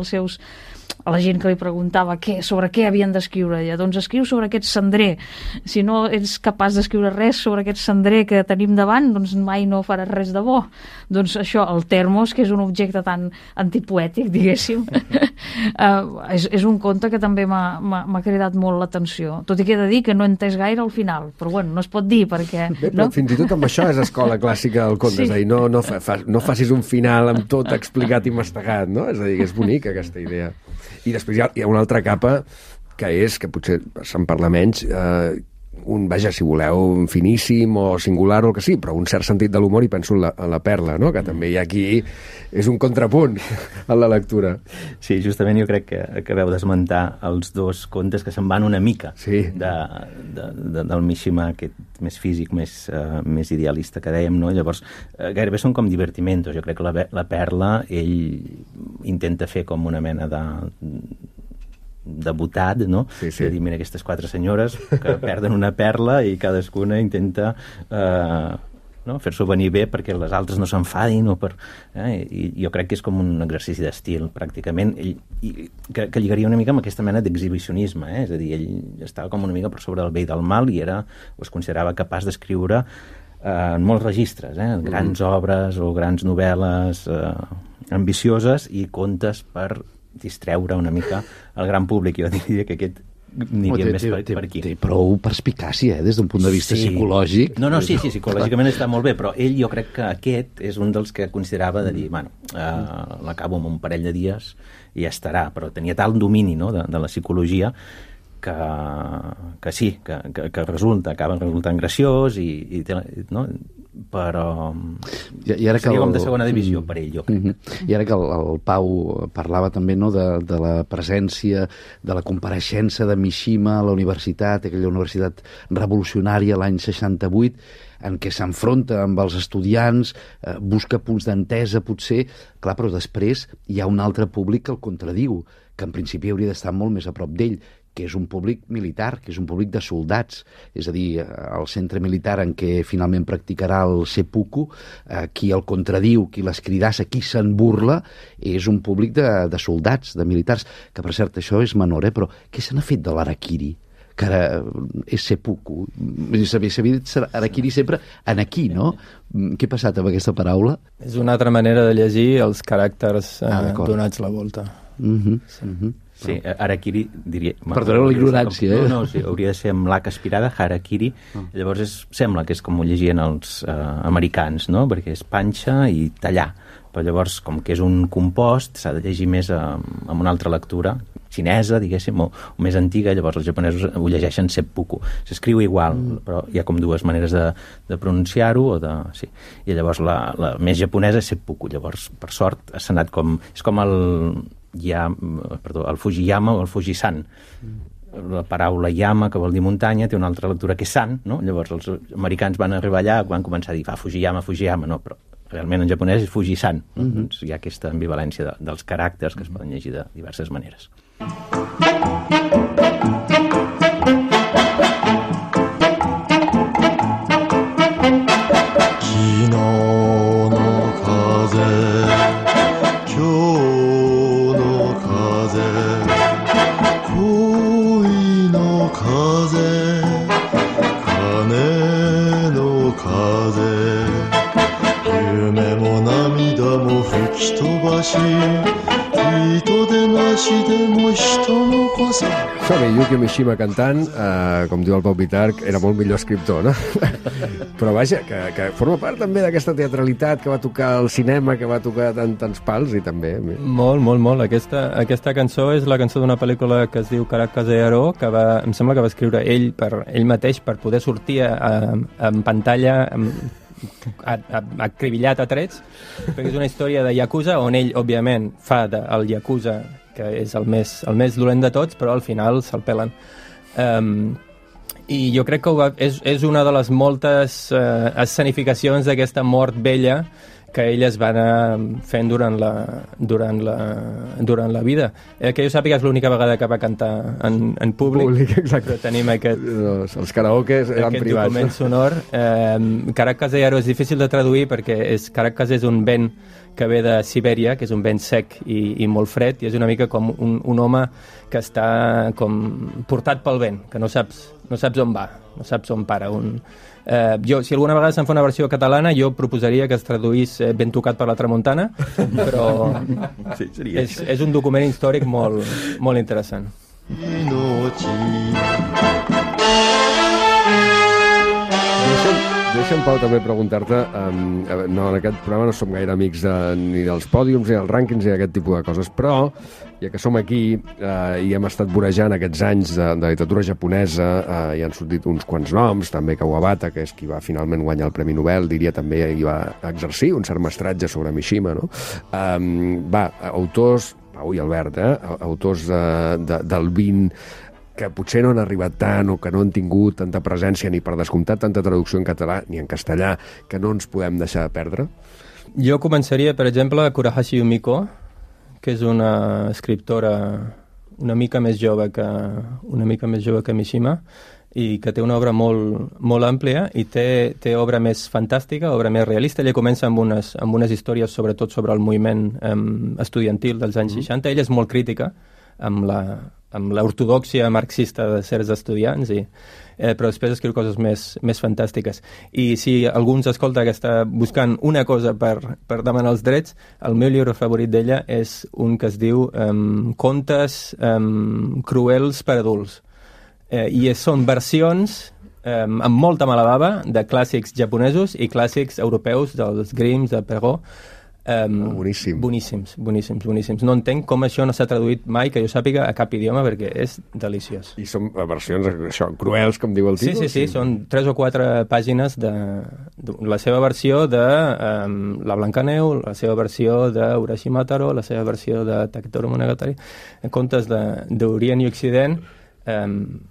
G: a la gent que li preguntava sobre què havien d'escriure, doncs escriu sobre aquest cendrer, si no ets capaç d'escriure res sobre aquest cendrer que tenim davant, doncs mai no faràs res de bo. Doncs això, el Termos, que és un objecte tan antipoètic, diguéssim, és un conte que també m'ha cridat molt l'atenció, tot i que he de dir que no he entès gaire al final, però bueno, no es pot dir perquè...
A: Però fins i tot amb això és escola clàssica del conte, és a dir, no facis un final amb tot explicat i mastegat, no? És a dir, que és bonica aquesta idea. I després hi ha una altra capa que potser se'n parla menys, si voleu, finíssim o singular o el que sí, però un cert sentit de l'humor, i penso en la Perla, no? Que també hi ha aquí, és un contrapunt en la lectura.
C: Sí, justament jo crec que acabeu d'esmentar els dos contes que se'n van una mica del Mishima aquest més físic, més idealista que dèiem, no? Llavors, gairebé són com divertimentos. Jo crec que la Perla, ell intenta fer com una mena de botat, no? Sí. De dir, mira, aquestes 4 senyores que perden una perla i cadascuna intenta fer-s'ho venir bé perquè les altres no s'enfadin i jo crec que és com un exercici d'estil pràcticament, que lligaria una mica amb aquesta mena d'exhibicionisme, és a dir, ell estava com una mica per sobre del bé i del mal i es considerava capaç d'escriure en molts registres, grans obres o grans novel·les ambicioses i contes per distreure una mica el gran públic. Jo diria que aquest aniria més per aquí.
D: Té prou perspicàcia, des d'un punt de vista psicològic.
C: No, sí, psicològicament està molt bé, però ell jo crec que aquest és un dels que considerava de dir, l'acabo en un parell de dies i ja estarà, però tenia tal domini, no?, de la psicologia que sí, que acaba resultant graciós i no? però
D: I ara
C: seria com de segona divisió per ell, jo crec.
D: I ara que el Pau parlava també, no, de la presència, de la compareixença de Mishima a la universitat, aquella universitat revolucionària l'any 68, en què s'enfronta amb els estudiants, busca punts d'entesa potser, clar, però després hi ha un altre públic que el contradiu, que en principi hauria d'estar molt més a prop d'ell, que és un públic militar, que és un públic de soldats, és a dir, el centre militar en què finalment practicarà el seppuku, qui el contradiu, qui l'escridassa, qui se'n burla, és un públic de soldats, de militars, que per cert això és menor, però què se n'ha fet de l'harakiri? Que ara és seppuku. S'havia dit harakiri sempre en aquí, no? Què ha passat amb aquesta paraula?
E: És una altra manera de llegir els caràcters donats la volta.
C: Sí, harakiri diria...
D: Perdoneu la ignorància,
C: No, sí, hauria de ser amb l'H aspirada, harakiri. Llavors sembla que és com ho llegien els americans, no? Perquè és panxa i tallar. Però llavors, com que és un compost, s'ha de llegir més amb una altra lectura, xinesa, diguéssim, o més antiga, llavors els japonesos ho llegeixen seppuku. S'escriu igual, però hi ha com dues maneres de pronunciar-ho, sí. I llavors la més japonesa és seppuku. Llavors, per sort, s'ha anat com... És com el Fujiyama o el Fujisan. La paraula yama, que vol dir muntanya, té una altra lectura que és san, no? Llavors els americans van arribar allà, van començar a dir Fujiyama, no, però realment en japonès és Fujisan, no? Doncs hi ha aquesta ambivalència dels caràcters que es poden llegir de diverses maneres.
A: Som-hi, Yukio Mishima cantant, com diu el Pau Pitarch, era molt millor escriptor, no? Però vaja, que forma part també d'aquesta teatralitat que va tocar al cinema, que va tocar tants pals i també...
E: Molt. Aquesta cançó és la cançó d'una pel·lícula que es diu Karakaze Yaro, que em sembla que va escriure ell mateix per poder sortir en pantalla acribillat a trets, perquè és una història de Yakuza on ell, òbviament, fa el Yakuza, que és el més dolent de tots, però al final se'l pelen. I jo crec que és una de les moltes escenificacions d'aquesta mort vella que ell es va anar fent durant la vida. Que jo sàpiga és l'única vegada que va cantar en públic.
A: Exacte.
E: Tenim aquest...
A: Els karaokes eren privats.
E: Document sonor. Karakaze Yaro és difícil de traduir perquè Karakaze és un vent que ve de Sibèria, que és un vent sec i molt fred, i és una mica com un home que està com portat pel vent, que no saps on va, no saps on para. Si alguna vegada se'n fa una versió catalana, jo proposaria que es traduís Ben tocat per la tramuntana, però és un document històric molt interessant.
A: Deixa'm, Pau, també preguntar-te, en aquest programa no som gaire amics ni dels pòdiums, ni dels rànquings, ni d'aquest tipus de coses, però ja que som aquí i hem estat vorejant aquests anys de literatura japonesa, hi han sortit uns quants noms, també Kawabata, que és qui va finalment guanyar el Premi Nobel, diria també qui va exercir un cert mestratge sobre Mishima, no? Autors, Pau i Albert, autors del 20 que potser no han arribat tant o que no han tingut tanta presència ni per descomptat tanta traducció en català ni en castellà, que no ens podem deixar de perdre?
E: Jo començaria, per exemple, Kurahashi Yumiko, que és una escriptora una mica més jove que Mishima, i que té una obra molt àmplia i té obra més fantàstica, obra més realista. Ella comença amb unes històries sobretot sobre el moviment estudiantil dels anys 60. Ella és molt crítica amb l'ortodòxia marxista de certs estudiants, però després escriu coses més fantàstiques. I si algú ens escolta que està buscant una cosa per demanar els drets, el meu llibre favorit d'ella és un que es diu Contes cruels per adults. I són versions amb molta mala bava de clàssics japonesos i clàssics europeus, dels Grimms, de Perrault, Boníssims. No entenc com això no s'ha traduït mai, que jo sàpiga, a cap idioma, perquè és deliciós.
A: I són versions això, cruels, com diu el títol?
E: Sí, són 3 o 4 pàgines de la seva versió de La Blancaneu, la seva versió d'Urashimataro, la seva versió de Taketori Monogatari, contes d'Orient i Occident,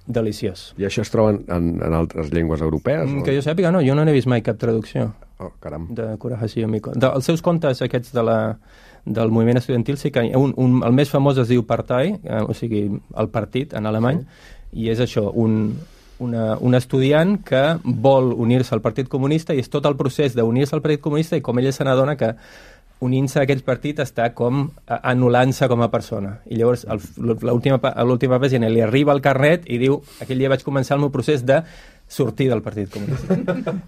E: deliciós.
A: I això es troba en altres llengües europees?
E: Que jo sàpiga, no, jo no n'he vist mai cap traducció.
A: Oh, caram.
E: De Kurahashi Yomiko. Els seus contes aquests del moviment estudiantil, sí que el més famós es diu Partei, o sigui, el partit en alemany, i és això, un estudiant que vol unir-se al Partit Comunista, i és tot el procés d'unir-se al Partit Comunista, i com ella se n'adona que unint-se a aquest partit està com anul·lant-se com a persona. I llavors, a l'última pàgina li arriba el carnet i diu, aquell dia vaig començar el meu procés de sortir del Partit Comunista.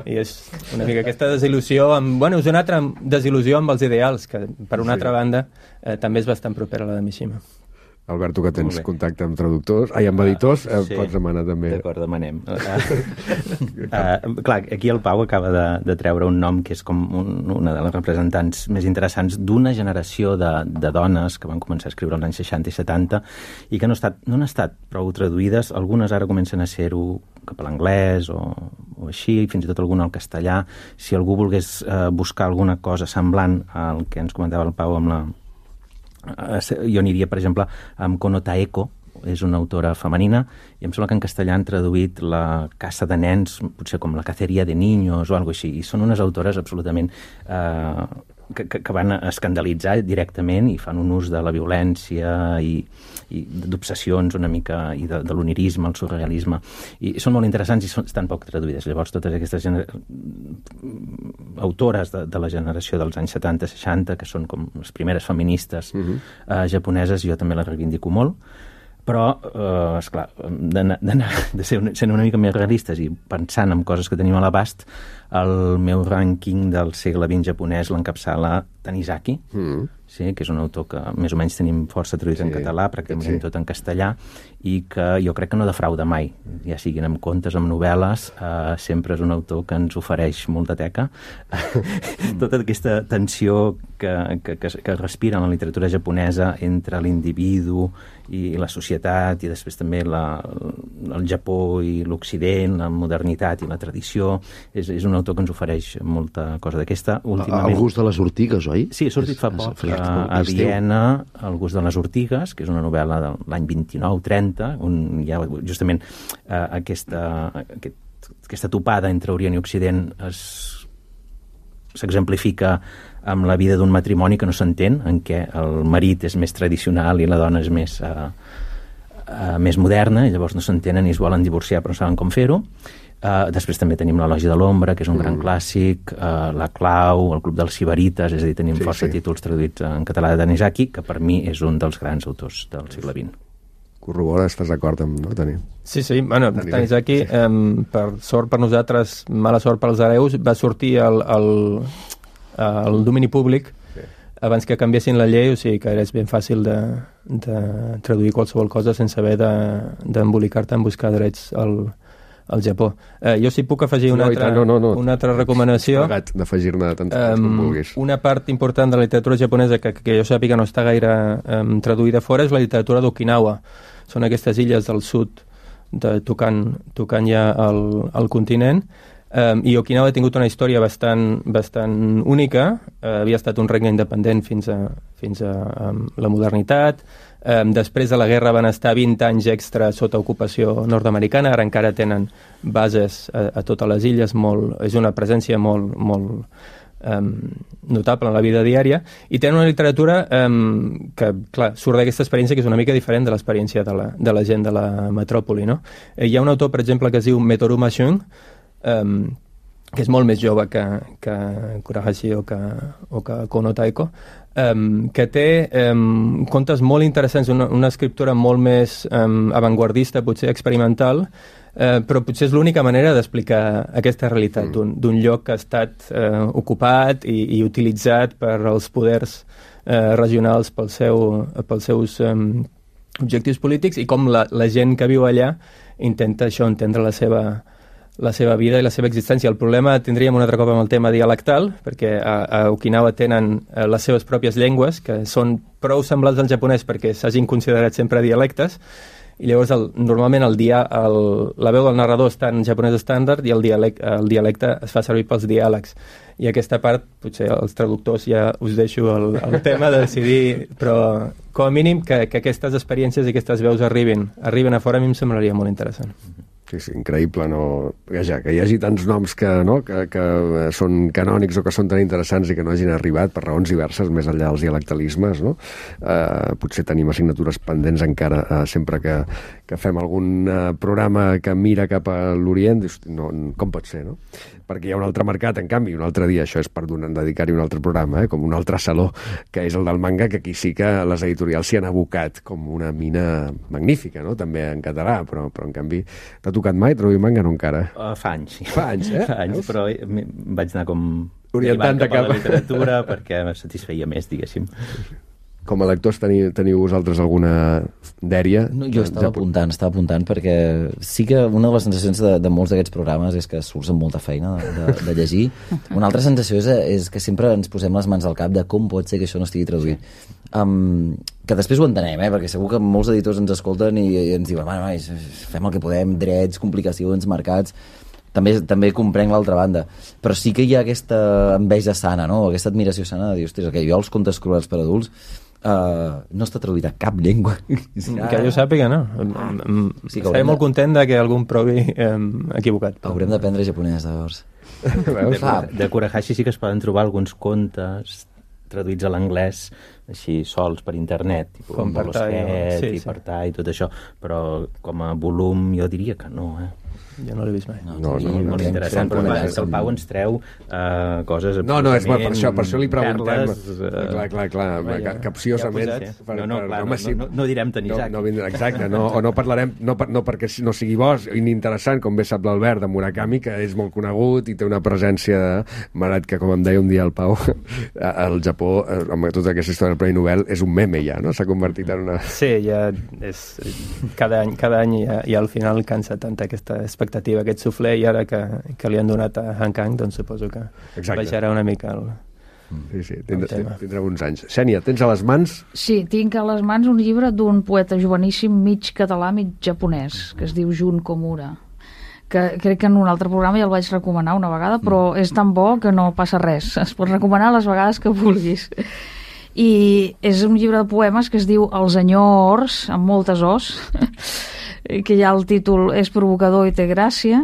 E: I és una mica aquesta desil·lusió, és una altra desil·lusió amb els ideals, que per una altra banda també és bastant propera a la de Mishima.
A: Alberto, que tens contacte amb traductors, amb editors, sí. Pots demanar també.
C: D'acord, demanem. Clar, aquí el Pau acaba de treure un nom que és com una de les representants més interessants d'una generació de dones que van començar a escriure als anys 60 i 70 i que no han estat prou traduïdes. Algunes ara comencen a ser-ho cap a l'anglès o així, fins i tot alguna al castellà. Si algú volgués buscar alguna cosa semblant al que ens comentava el Pau amb la... Jo aniria, per exemple, amb Kono Taeko, és una autora femenina, i em sembla que en castellà han traduït La caça de nens, potser com La caceria de niños o alguna cosa així, i són unes autores absolutament que van escandalitzar directament i fan un ús de la violència i d'obsessions una mica, i de l'onirisme, el surrealisme, i són molt interessants i estan poc traduïdes. Llavors totes aquestes autores de la generació dels anys 70-60, que són com les primeres feministes japoneses, jo també les reivindico molt, però, esclar, de ser una mica més realistes i pensant en coses que tenim a l'abast, el meu rànquing del segle XX japonès l'encapçala Tanizaki, sí, que és un autor que més o menys tenim força traduït en català, pràcticament tot en castellà, i que jo crec que no defrauda mai, ja siguin amb contes, amb novel·les, sempre és un autor que ens ofereix molta teca. Tota aquesta tensió que respira en la literatura japonesa entre l'individu i la societat, i després també el Japó i l'Occident, la modernitat i la tradició, és un autor que ens ofereix molta cosa d'aquesta.
D: El gust de les ortigues, oi?
C: Sí, ha sortit fa poc a Viena, El gust de les ortigues, que és una novel·la de l'any 29-30, on hi ha justament aquesta topada entre Orient i Occident s'exemplifica amb la vida d'un matrimoni que no s'entén, en què el marit és més tradicional i la dona és més moderna, i llavors no s'entenen i es volen divorciar però no saben com fer-ho. Després també tenim l'Elogi de l'ombra, que és un gran clàssic, La clau, El club dels sibarites, és a dir, tenim força títols traduïts en català de Tanizaki, que per mi és un dels grans autors del segle XX.
A: Corrobora, estàs d'acord amb, no, Tani?
E: Sí, bueno, Tanizaki, per sort per nosaltres, mala sort pels hereus, va sortir al domini públic abans que canviessin la llei, o sigui que és ben fàcil de traduir qualsevol cosa sense haver d'embolicar-te en buscar drets al Japó. Jo sí puc afegir una altra recomanació.
A: D'afegir-ne tantes com vulguis.
E: Una part important de la literatura japonesa que jo sàpiga no està gaire traduïda fora és la literatura d'Okinawa. Són aquestes illes del sud tocant ja el continent. I Okinawa ha tingut una història bastant única. Havia estat un regne independent fins a la modernitat. Després de la guerra van estar 20 anys extra sota ocupació nord-americana. Ara encara tenen bases a totes les illes. És una presència molt notable en la vida diària, i tenen una literatura que, clar, surt d'aquesta experiència que és una mica diferent de l'experiència de la gent de la metròpoli, no? Hi ha un autor, per exemple, que es diu Metoru Mashun, que és molt més jove que Kurahashi o que Kono Taeko, que té contes molt interessants, una escriptura molt més avantguardista, potser experimental, però potser és l'única manera d'explicar aquesta realitat d'un lloc que ha estat ocupat i utilitzat per als poders regionals pels seus objectius polítics, i com la gent que viu allà intenta entendre la la seva vida i la seva existència. El problema tindríem un altre cop amb el tema dialectal, perquè a Okinawa tenen les seves pròpies llengües, que són prou semblants al japonès perquè s'hagin considerat sempre dialectes, i llavors normalment la veu del narrador està en japonès estàndard i el dialecte es fa servir pels diàlegs. I aquesta part, potser els traductors ja us deixo el tema de decidir, però com a mínim que aquestes experiències i aquestes veus arribin a fora, a mi em semblaria molt interessant.
A: Sí, increïble, no? Que hi hagi tants noms que són canònics o que són tan interessants i que no hagin arribat per raons diverses, més enllà dels dialectalismes, no? Potser tenim assignatures pendents encara sempre que fem algun programa que mira cap a l'Orient, com pot ser, no? Perquè hi ha un altre mercat, en canvi, un altre dia, això és per dedicar-hi un altre programa, com un altre saló, que és el del manga, que aquí sí que les editorials s'hi han abocat com una mina magnífica, no? També en català, però en canvi t'ha tocat mai traduir manga, no encara?
C: Fa anys, sí.
A: Fa anys,
C: Fa anys, però vaig anar com
A: orientant
C: cap a la literatura perquè me satisfeia més, diguéssim.
A: Com a lectors teniu vosaltres alguna dèria?
F: No, jo estava apuntant perquè sí que una de les sensacions de molts d'aquests programes és que surts amb molta feina de llegir. Una altra sensació és que sempre ens posem les mans al cap de com pot ser que això no estigui traduït. Que després ho entenem, perquè segur que molts editors ens escolten i ens diuen fem el que podem, drets, complicacions, mercats. També comprenc l'altra banda, però sí que hi ha aquesta enveja sana, no? Aquesta admiració sana de dir, ostres, jo els contes cruels per adults no està traduït a cap llengua.
E: Que jo sàpiga, no? Estaré molt content que algun provi equivocat.
F: Haurem d'aprendre japonès, llavors.
C: De Kurahashi sí que es poden trobar alguns contes traduïts a l'anglès així sols per internet,
E: com per
C: Partai i tot això, però com a volum jo diria que no,
E: Jo no l'he vist mai.
C: No, molt interessant, però el Pau ens treu coses
A: absolutament... No, per això li preguntem. Clar, capciosament.
C: No direm Tanizaki.
A: Exacte, o no parlarem, no perquè no sigui bo, ininteressant, com bé sap l'Albert, de Murakami, que és molt conegut i té una presència malgrat que, com em deia un dia el Pau, al Japó, amb tota aquesta història del Premi Nobel, és un meme ja, no? S'ha convertit en una...
E: Sí, ja és... Cada any i al final cansa tanta aquesta expectativa, aquest suflé, i ara que li han donat a Han Kang, doncs suposo que baixarà una mica el...
A: Sí, tindrà uns anys. Xènia, tens a les mans?
G: Sí, tinc a les mans un llibre d'un poeta joveníssim, mig català, mig japonès, que es diu Jun Komura, que crec que en un altre programa ja el vaig recomanar una vegada, però és tan bo que no passa res. Es pot recomanar les vegades que vulguis. I és un llibre de poemes que es diu Els Enyors, amb moltes os, que ja el títol és provocador i té gràcia.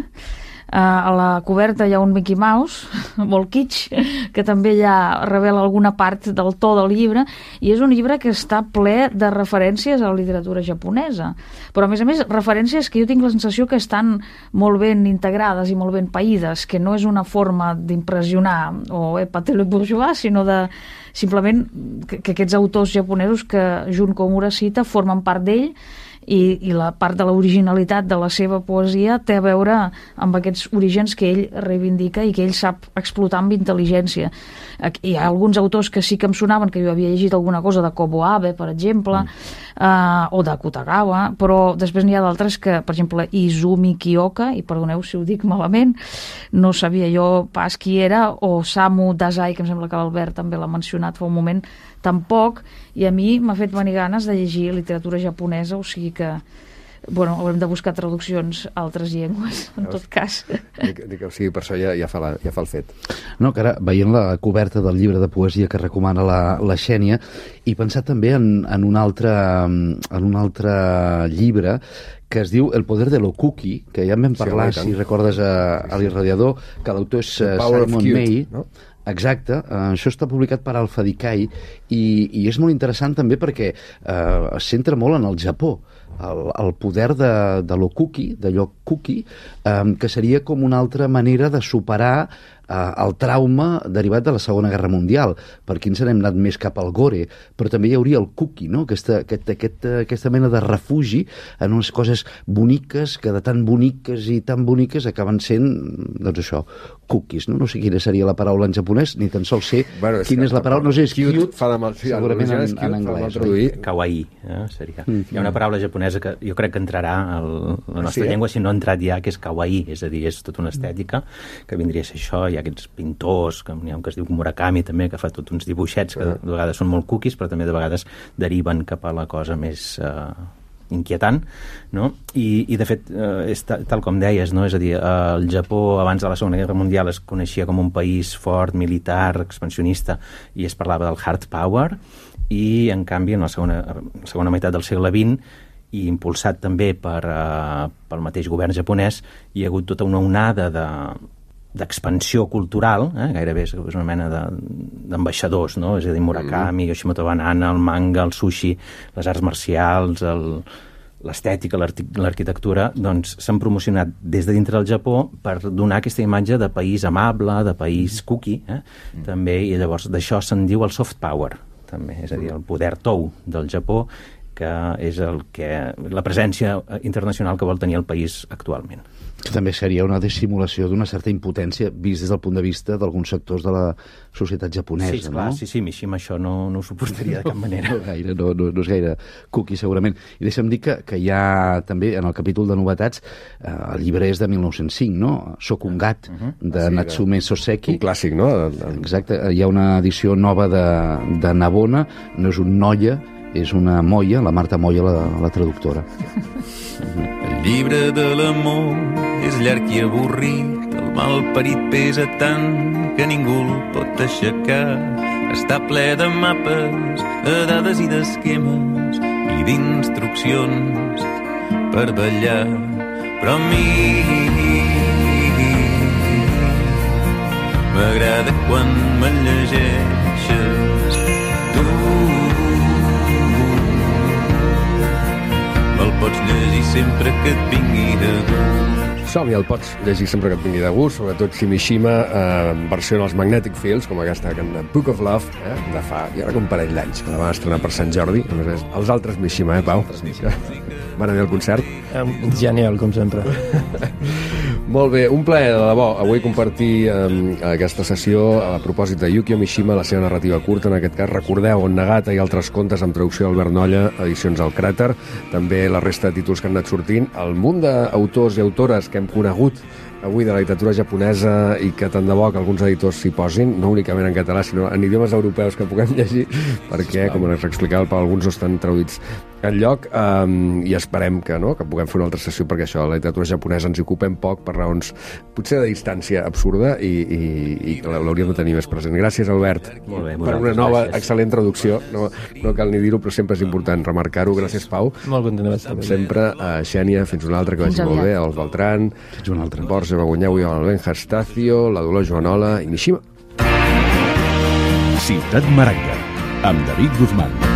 G: A la coberta hi ha un Mickey Mouse, molt kitsch, que també ja revela alguna part del to del llibre, i és un llibre que està ple de referències a la literatura japonesa. Però, a més, referències que jo tinc la sensació que estan molt ben integrades i molt ben païdes, que no és una forma d'impressionar o épater le bourgeois, sinó de simplement que aquests autors japonesos que Jun Komura cita formen part d'ell, i la part de l'originalitat de la seva poesia té a veure amb aquests orígens que ell reivindica i que ell sap explotar amb intel·ligència. Hi ha alguns autors que sí que em sonaven, que jo havia llegit alguna cosa de Kobo Abe, per exemple, o de Kutagawa, però després n'hi ha d'altres que, per exemple, Izumi Kiyoka, i perdoneu si ho dic malament, no sabia jo pas qui era, o Samu Dazai, que em sembla que l'Albert també l'ha mencionat fa un moment, tampoc, i a mi m'ha fet venir ganes de llegir literatura japonesa, o sigui que, bueno, haurem de buscar traduccions a altres llengües, en tot cas.
A: O sigui, per això ja fa el fet.
D: No, que ara, veient la coberta del llibre de poesia que recomana la Xènia, he pensat també en un altre llibre que es diu El poder de l'Okuki, que ja en vam parlar, si recordes, a l'Irradiador, que l'autor és Simon May, no? Exacte, això està publicat per Alpha Decay i és molt interessant també perquè es centra molt en el Japó, el poder de l'Okuki, d'allò cookie, que seria com una altra manera de superar el trauma derivat de la Segona Guerra Mundial. Per aquí ens n'hem anat més cap al gore, però també hi hauria el cookie, no? Aquesta mena de refugi en unes coses boniques que de tan boniques i tan boniques acaben sent, doncs això, cookies, no? No sé quina seria la paraula en japonès, ni tan sols sé quina és la paraula, no sé, és cute, segurament en anglès.
C: Kawaii, seria. Hi ha una paraula japonesa que jo crec que entrarà a la nostra llengua, si no ha entrat ja, que és kawaii, és a dir, és tota una estètica que vindria a ser això. Hi ha aquests pintors, n'hi ha un que es diu Murakami també, que fa tots uns dibuixets que de vegades són molt cookies, però també de vegades deriven cap a la cosa més inquietant, no? I de fet, és tal com deies, no? És a dir, el Japó abans de la Segona Guerra Mundial es coneixia com un país fort, militar, expansionista, i es parlava del hard power, i en canvi en la segona meitat del segle XX, i impulsat també pel mateix govern japonès, hi ha hagut tota una onada d'expansió cultural, gairebé és una mena d'ambaixadors, no? És a dir, Murakami, Yoshimoto Banana, el manga, el sushi, les arts marcials, l'estètica, l'arquitectura, doncs s'han promocionat des de dintre del Japó per donar aquesta imatge de país amable, de país cookie, també, i llavors d'això se'n diu el soft power, també, és a dir, el poder tou del Japó, que és la presència internacional que vol tenir el país actualment.
D: Que també seria una dissimulació d'una certa impotència vist des del punt de vista d'alguns sectors de la societat japonesa,
C: sí, clar,
D: no?
C: Sí, Mishima això no ho suportaria de cap manera.
D: No és gaire cookie, segurament. I deixa'm dir que hi ha també, en el capítol de novetats, el llibre és de 1905, no? Shokungat, de Natsume Soseki.
A: Un clàssic, no?
D: Exacte. Hi ha una edició nova de Nabona, no és un noia, és una Moya, la Marta Moya, la traductora.
I: El llibre de l'amor és llarg i avorrit, el malparit pesa tant que ningú el pot aixecar. Està ple de mapes, de dades i d'esquemes i d'instruccions per ballar. Però a mi m'agrada quan me llegeixes tu. Me'l pots llegir sempre que et vingui de gust.
A: Som-hi, el pots llegir sempre que et vingui de gust, sobretot si Mishima versiona els Magnetic Fields, com aquesta Book of Love, de fa, jo crec, un parell d'anys, que la van estrenar per Sant Jordi. A més, els altres Mishima, Pau? Van anar al concert?
E: Genial, com sempre.
A: Molt bé, un plaer, de debò, avui compartir aquesta sessió a propòsit de Yukio Mishima, la seva narrativa curta, en aquest cas. Recordeu, On Nagata i altres contes, amb traducció d'Albert Nolla, edicions al Cràter, també la resta de títols que han anat sortint, el munt d'autors i autores que hem conegut avui de la literatura japonesa i que tant de bo que alguns editors s'hi posin, no únicament en català, sinó en idiomes europeus que puguem llegir, perquè, com ens explicava el Pau, alguns no estan traduïts enlloc, i esperem que puguem fer una altra sessió, perquè això, la literatura japonesa ens hi ocupem poc per raons potser de distància absurda i que l'hauríem de tenir més present. Gràcies, Albert, per una nova excel·lent traducció. No cal ni dir-ho, però sempre és important remarcar-ho. Gràcies, Pau.
E: Molt content d'estar.
A: Com sempre, Xènia, fins una altra, que vagi molt bé, els Beltran,
D: fins una altra.
A: Borja Begunyeu i el Benja Estacio, la Dolors Joanola i Mishima.
B: Ciutat Maragda, amb David Guzmán.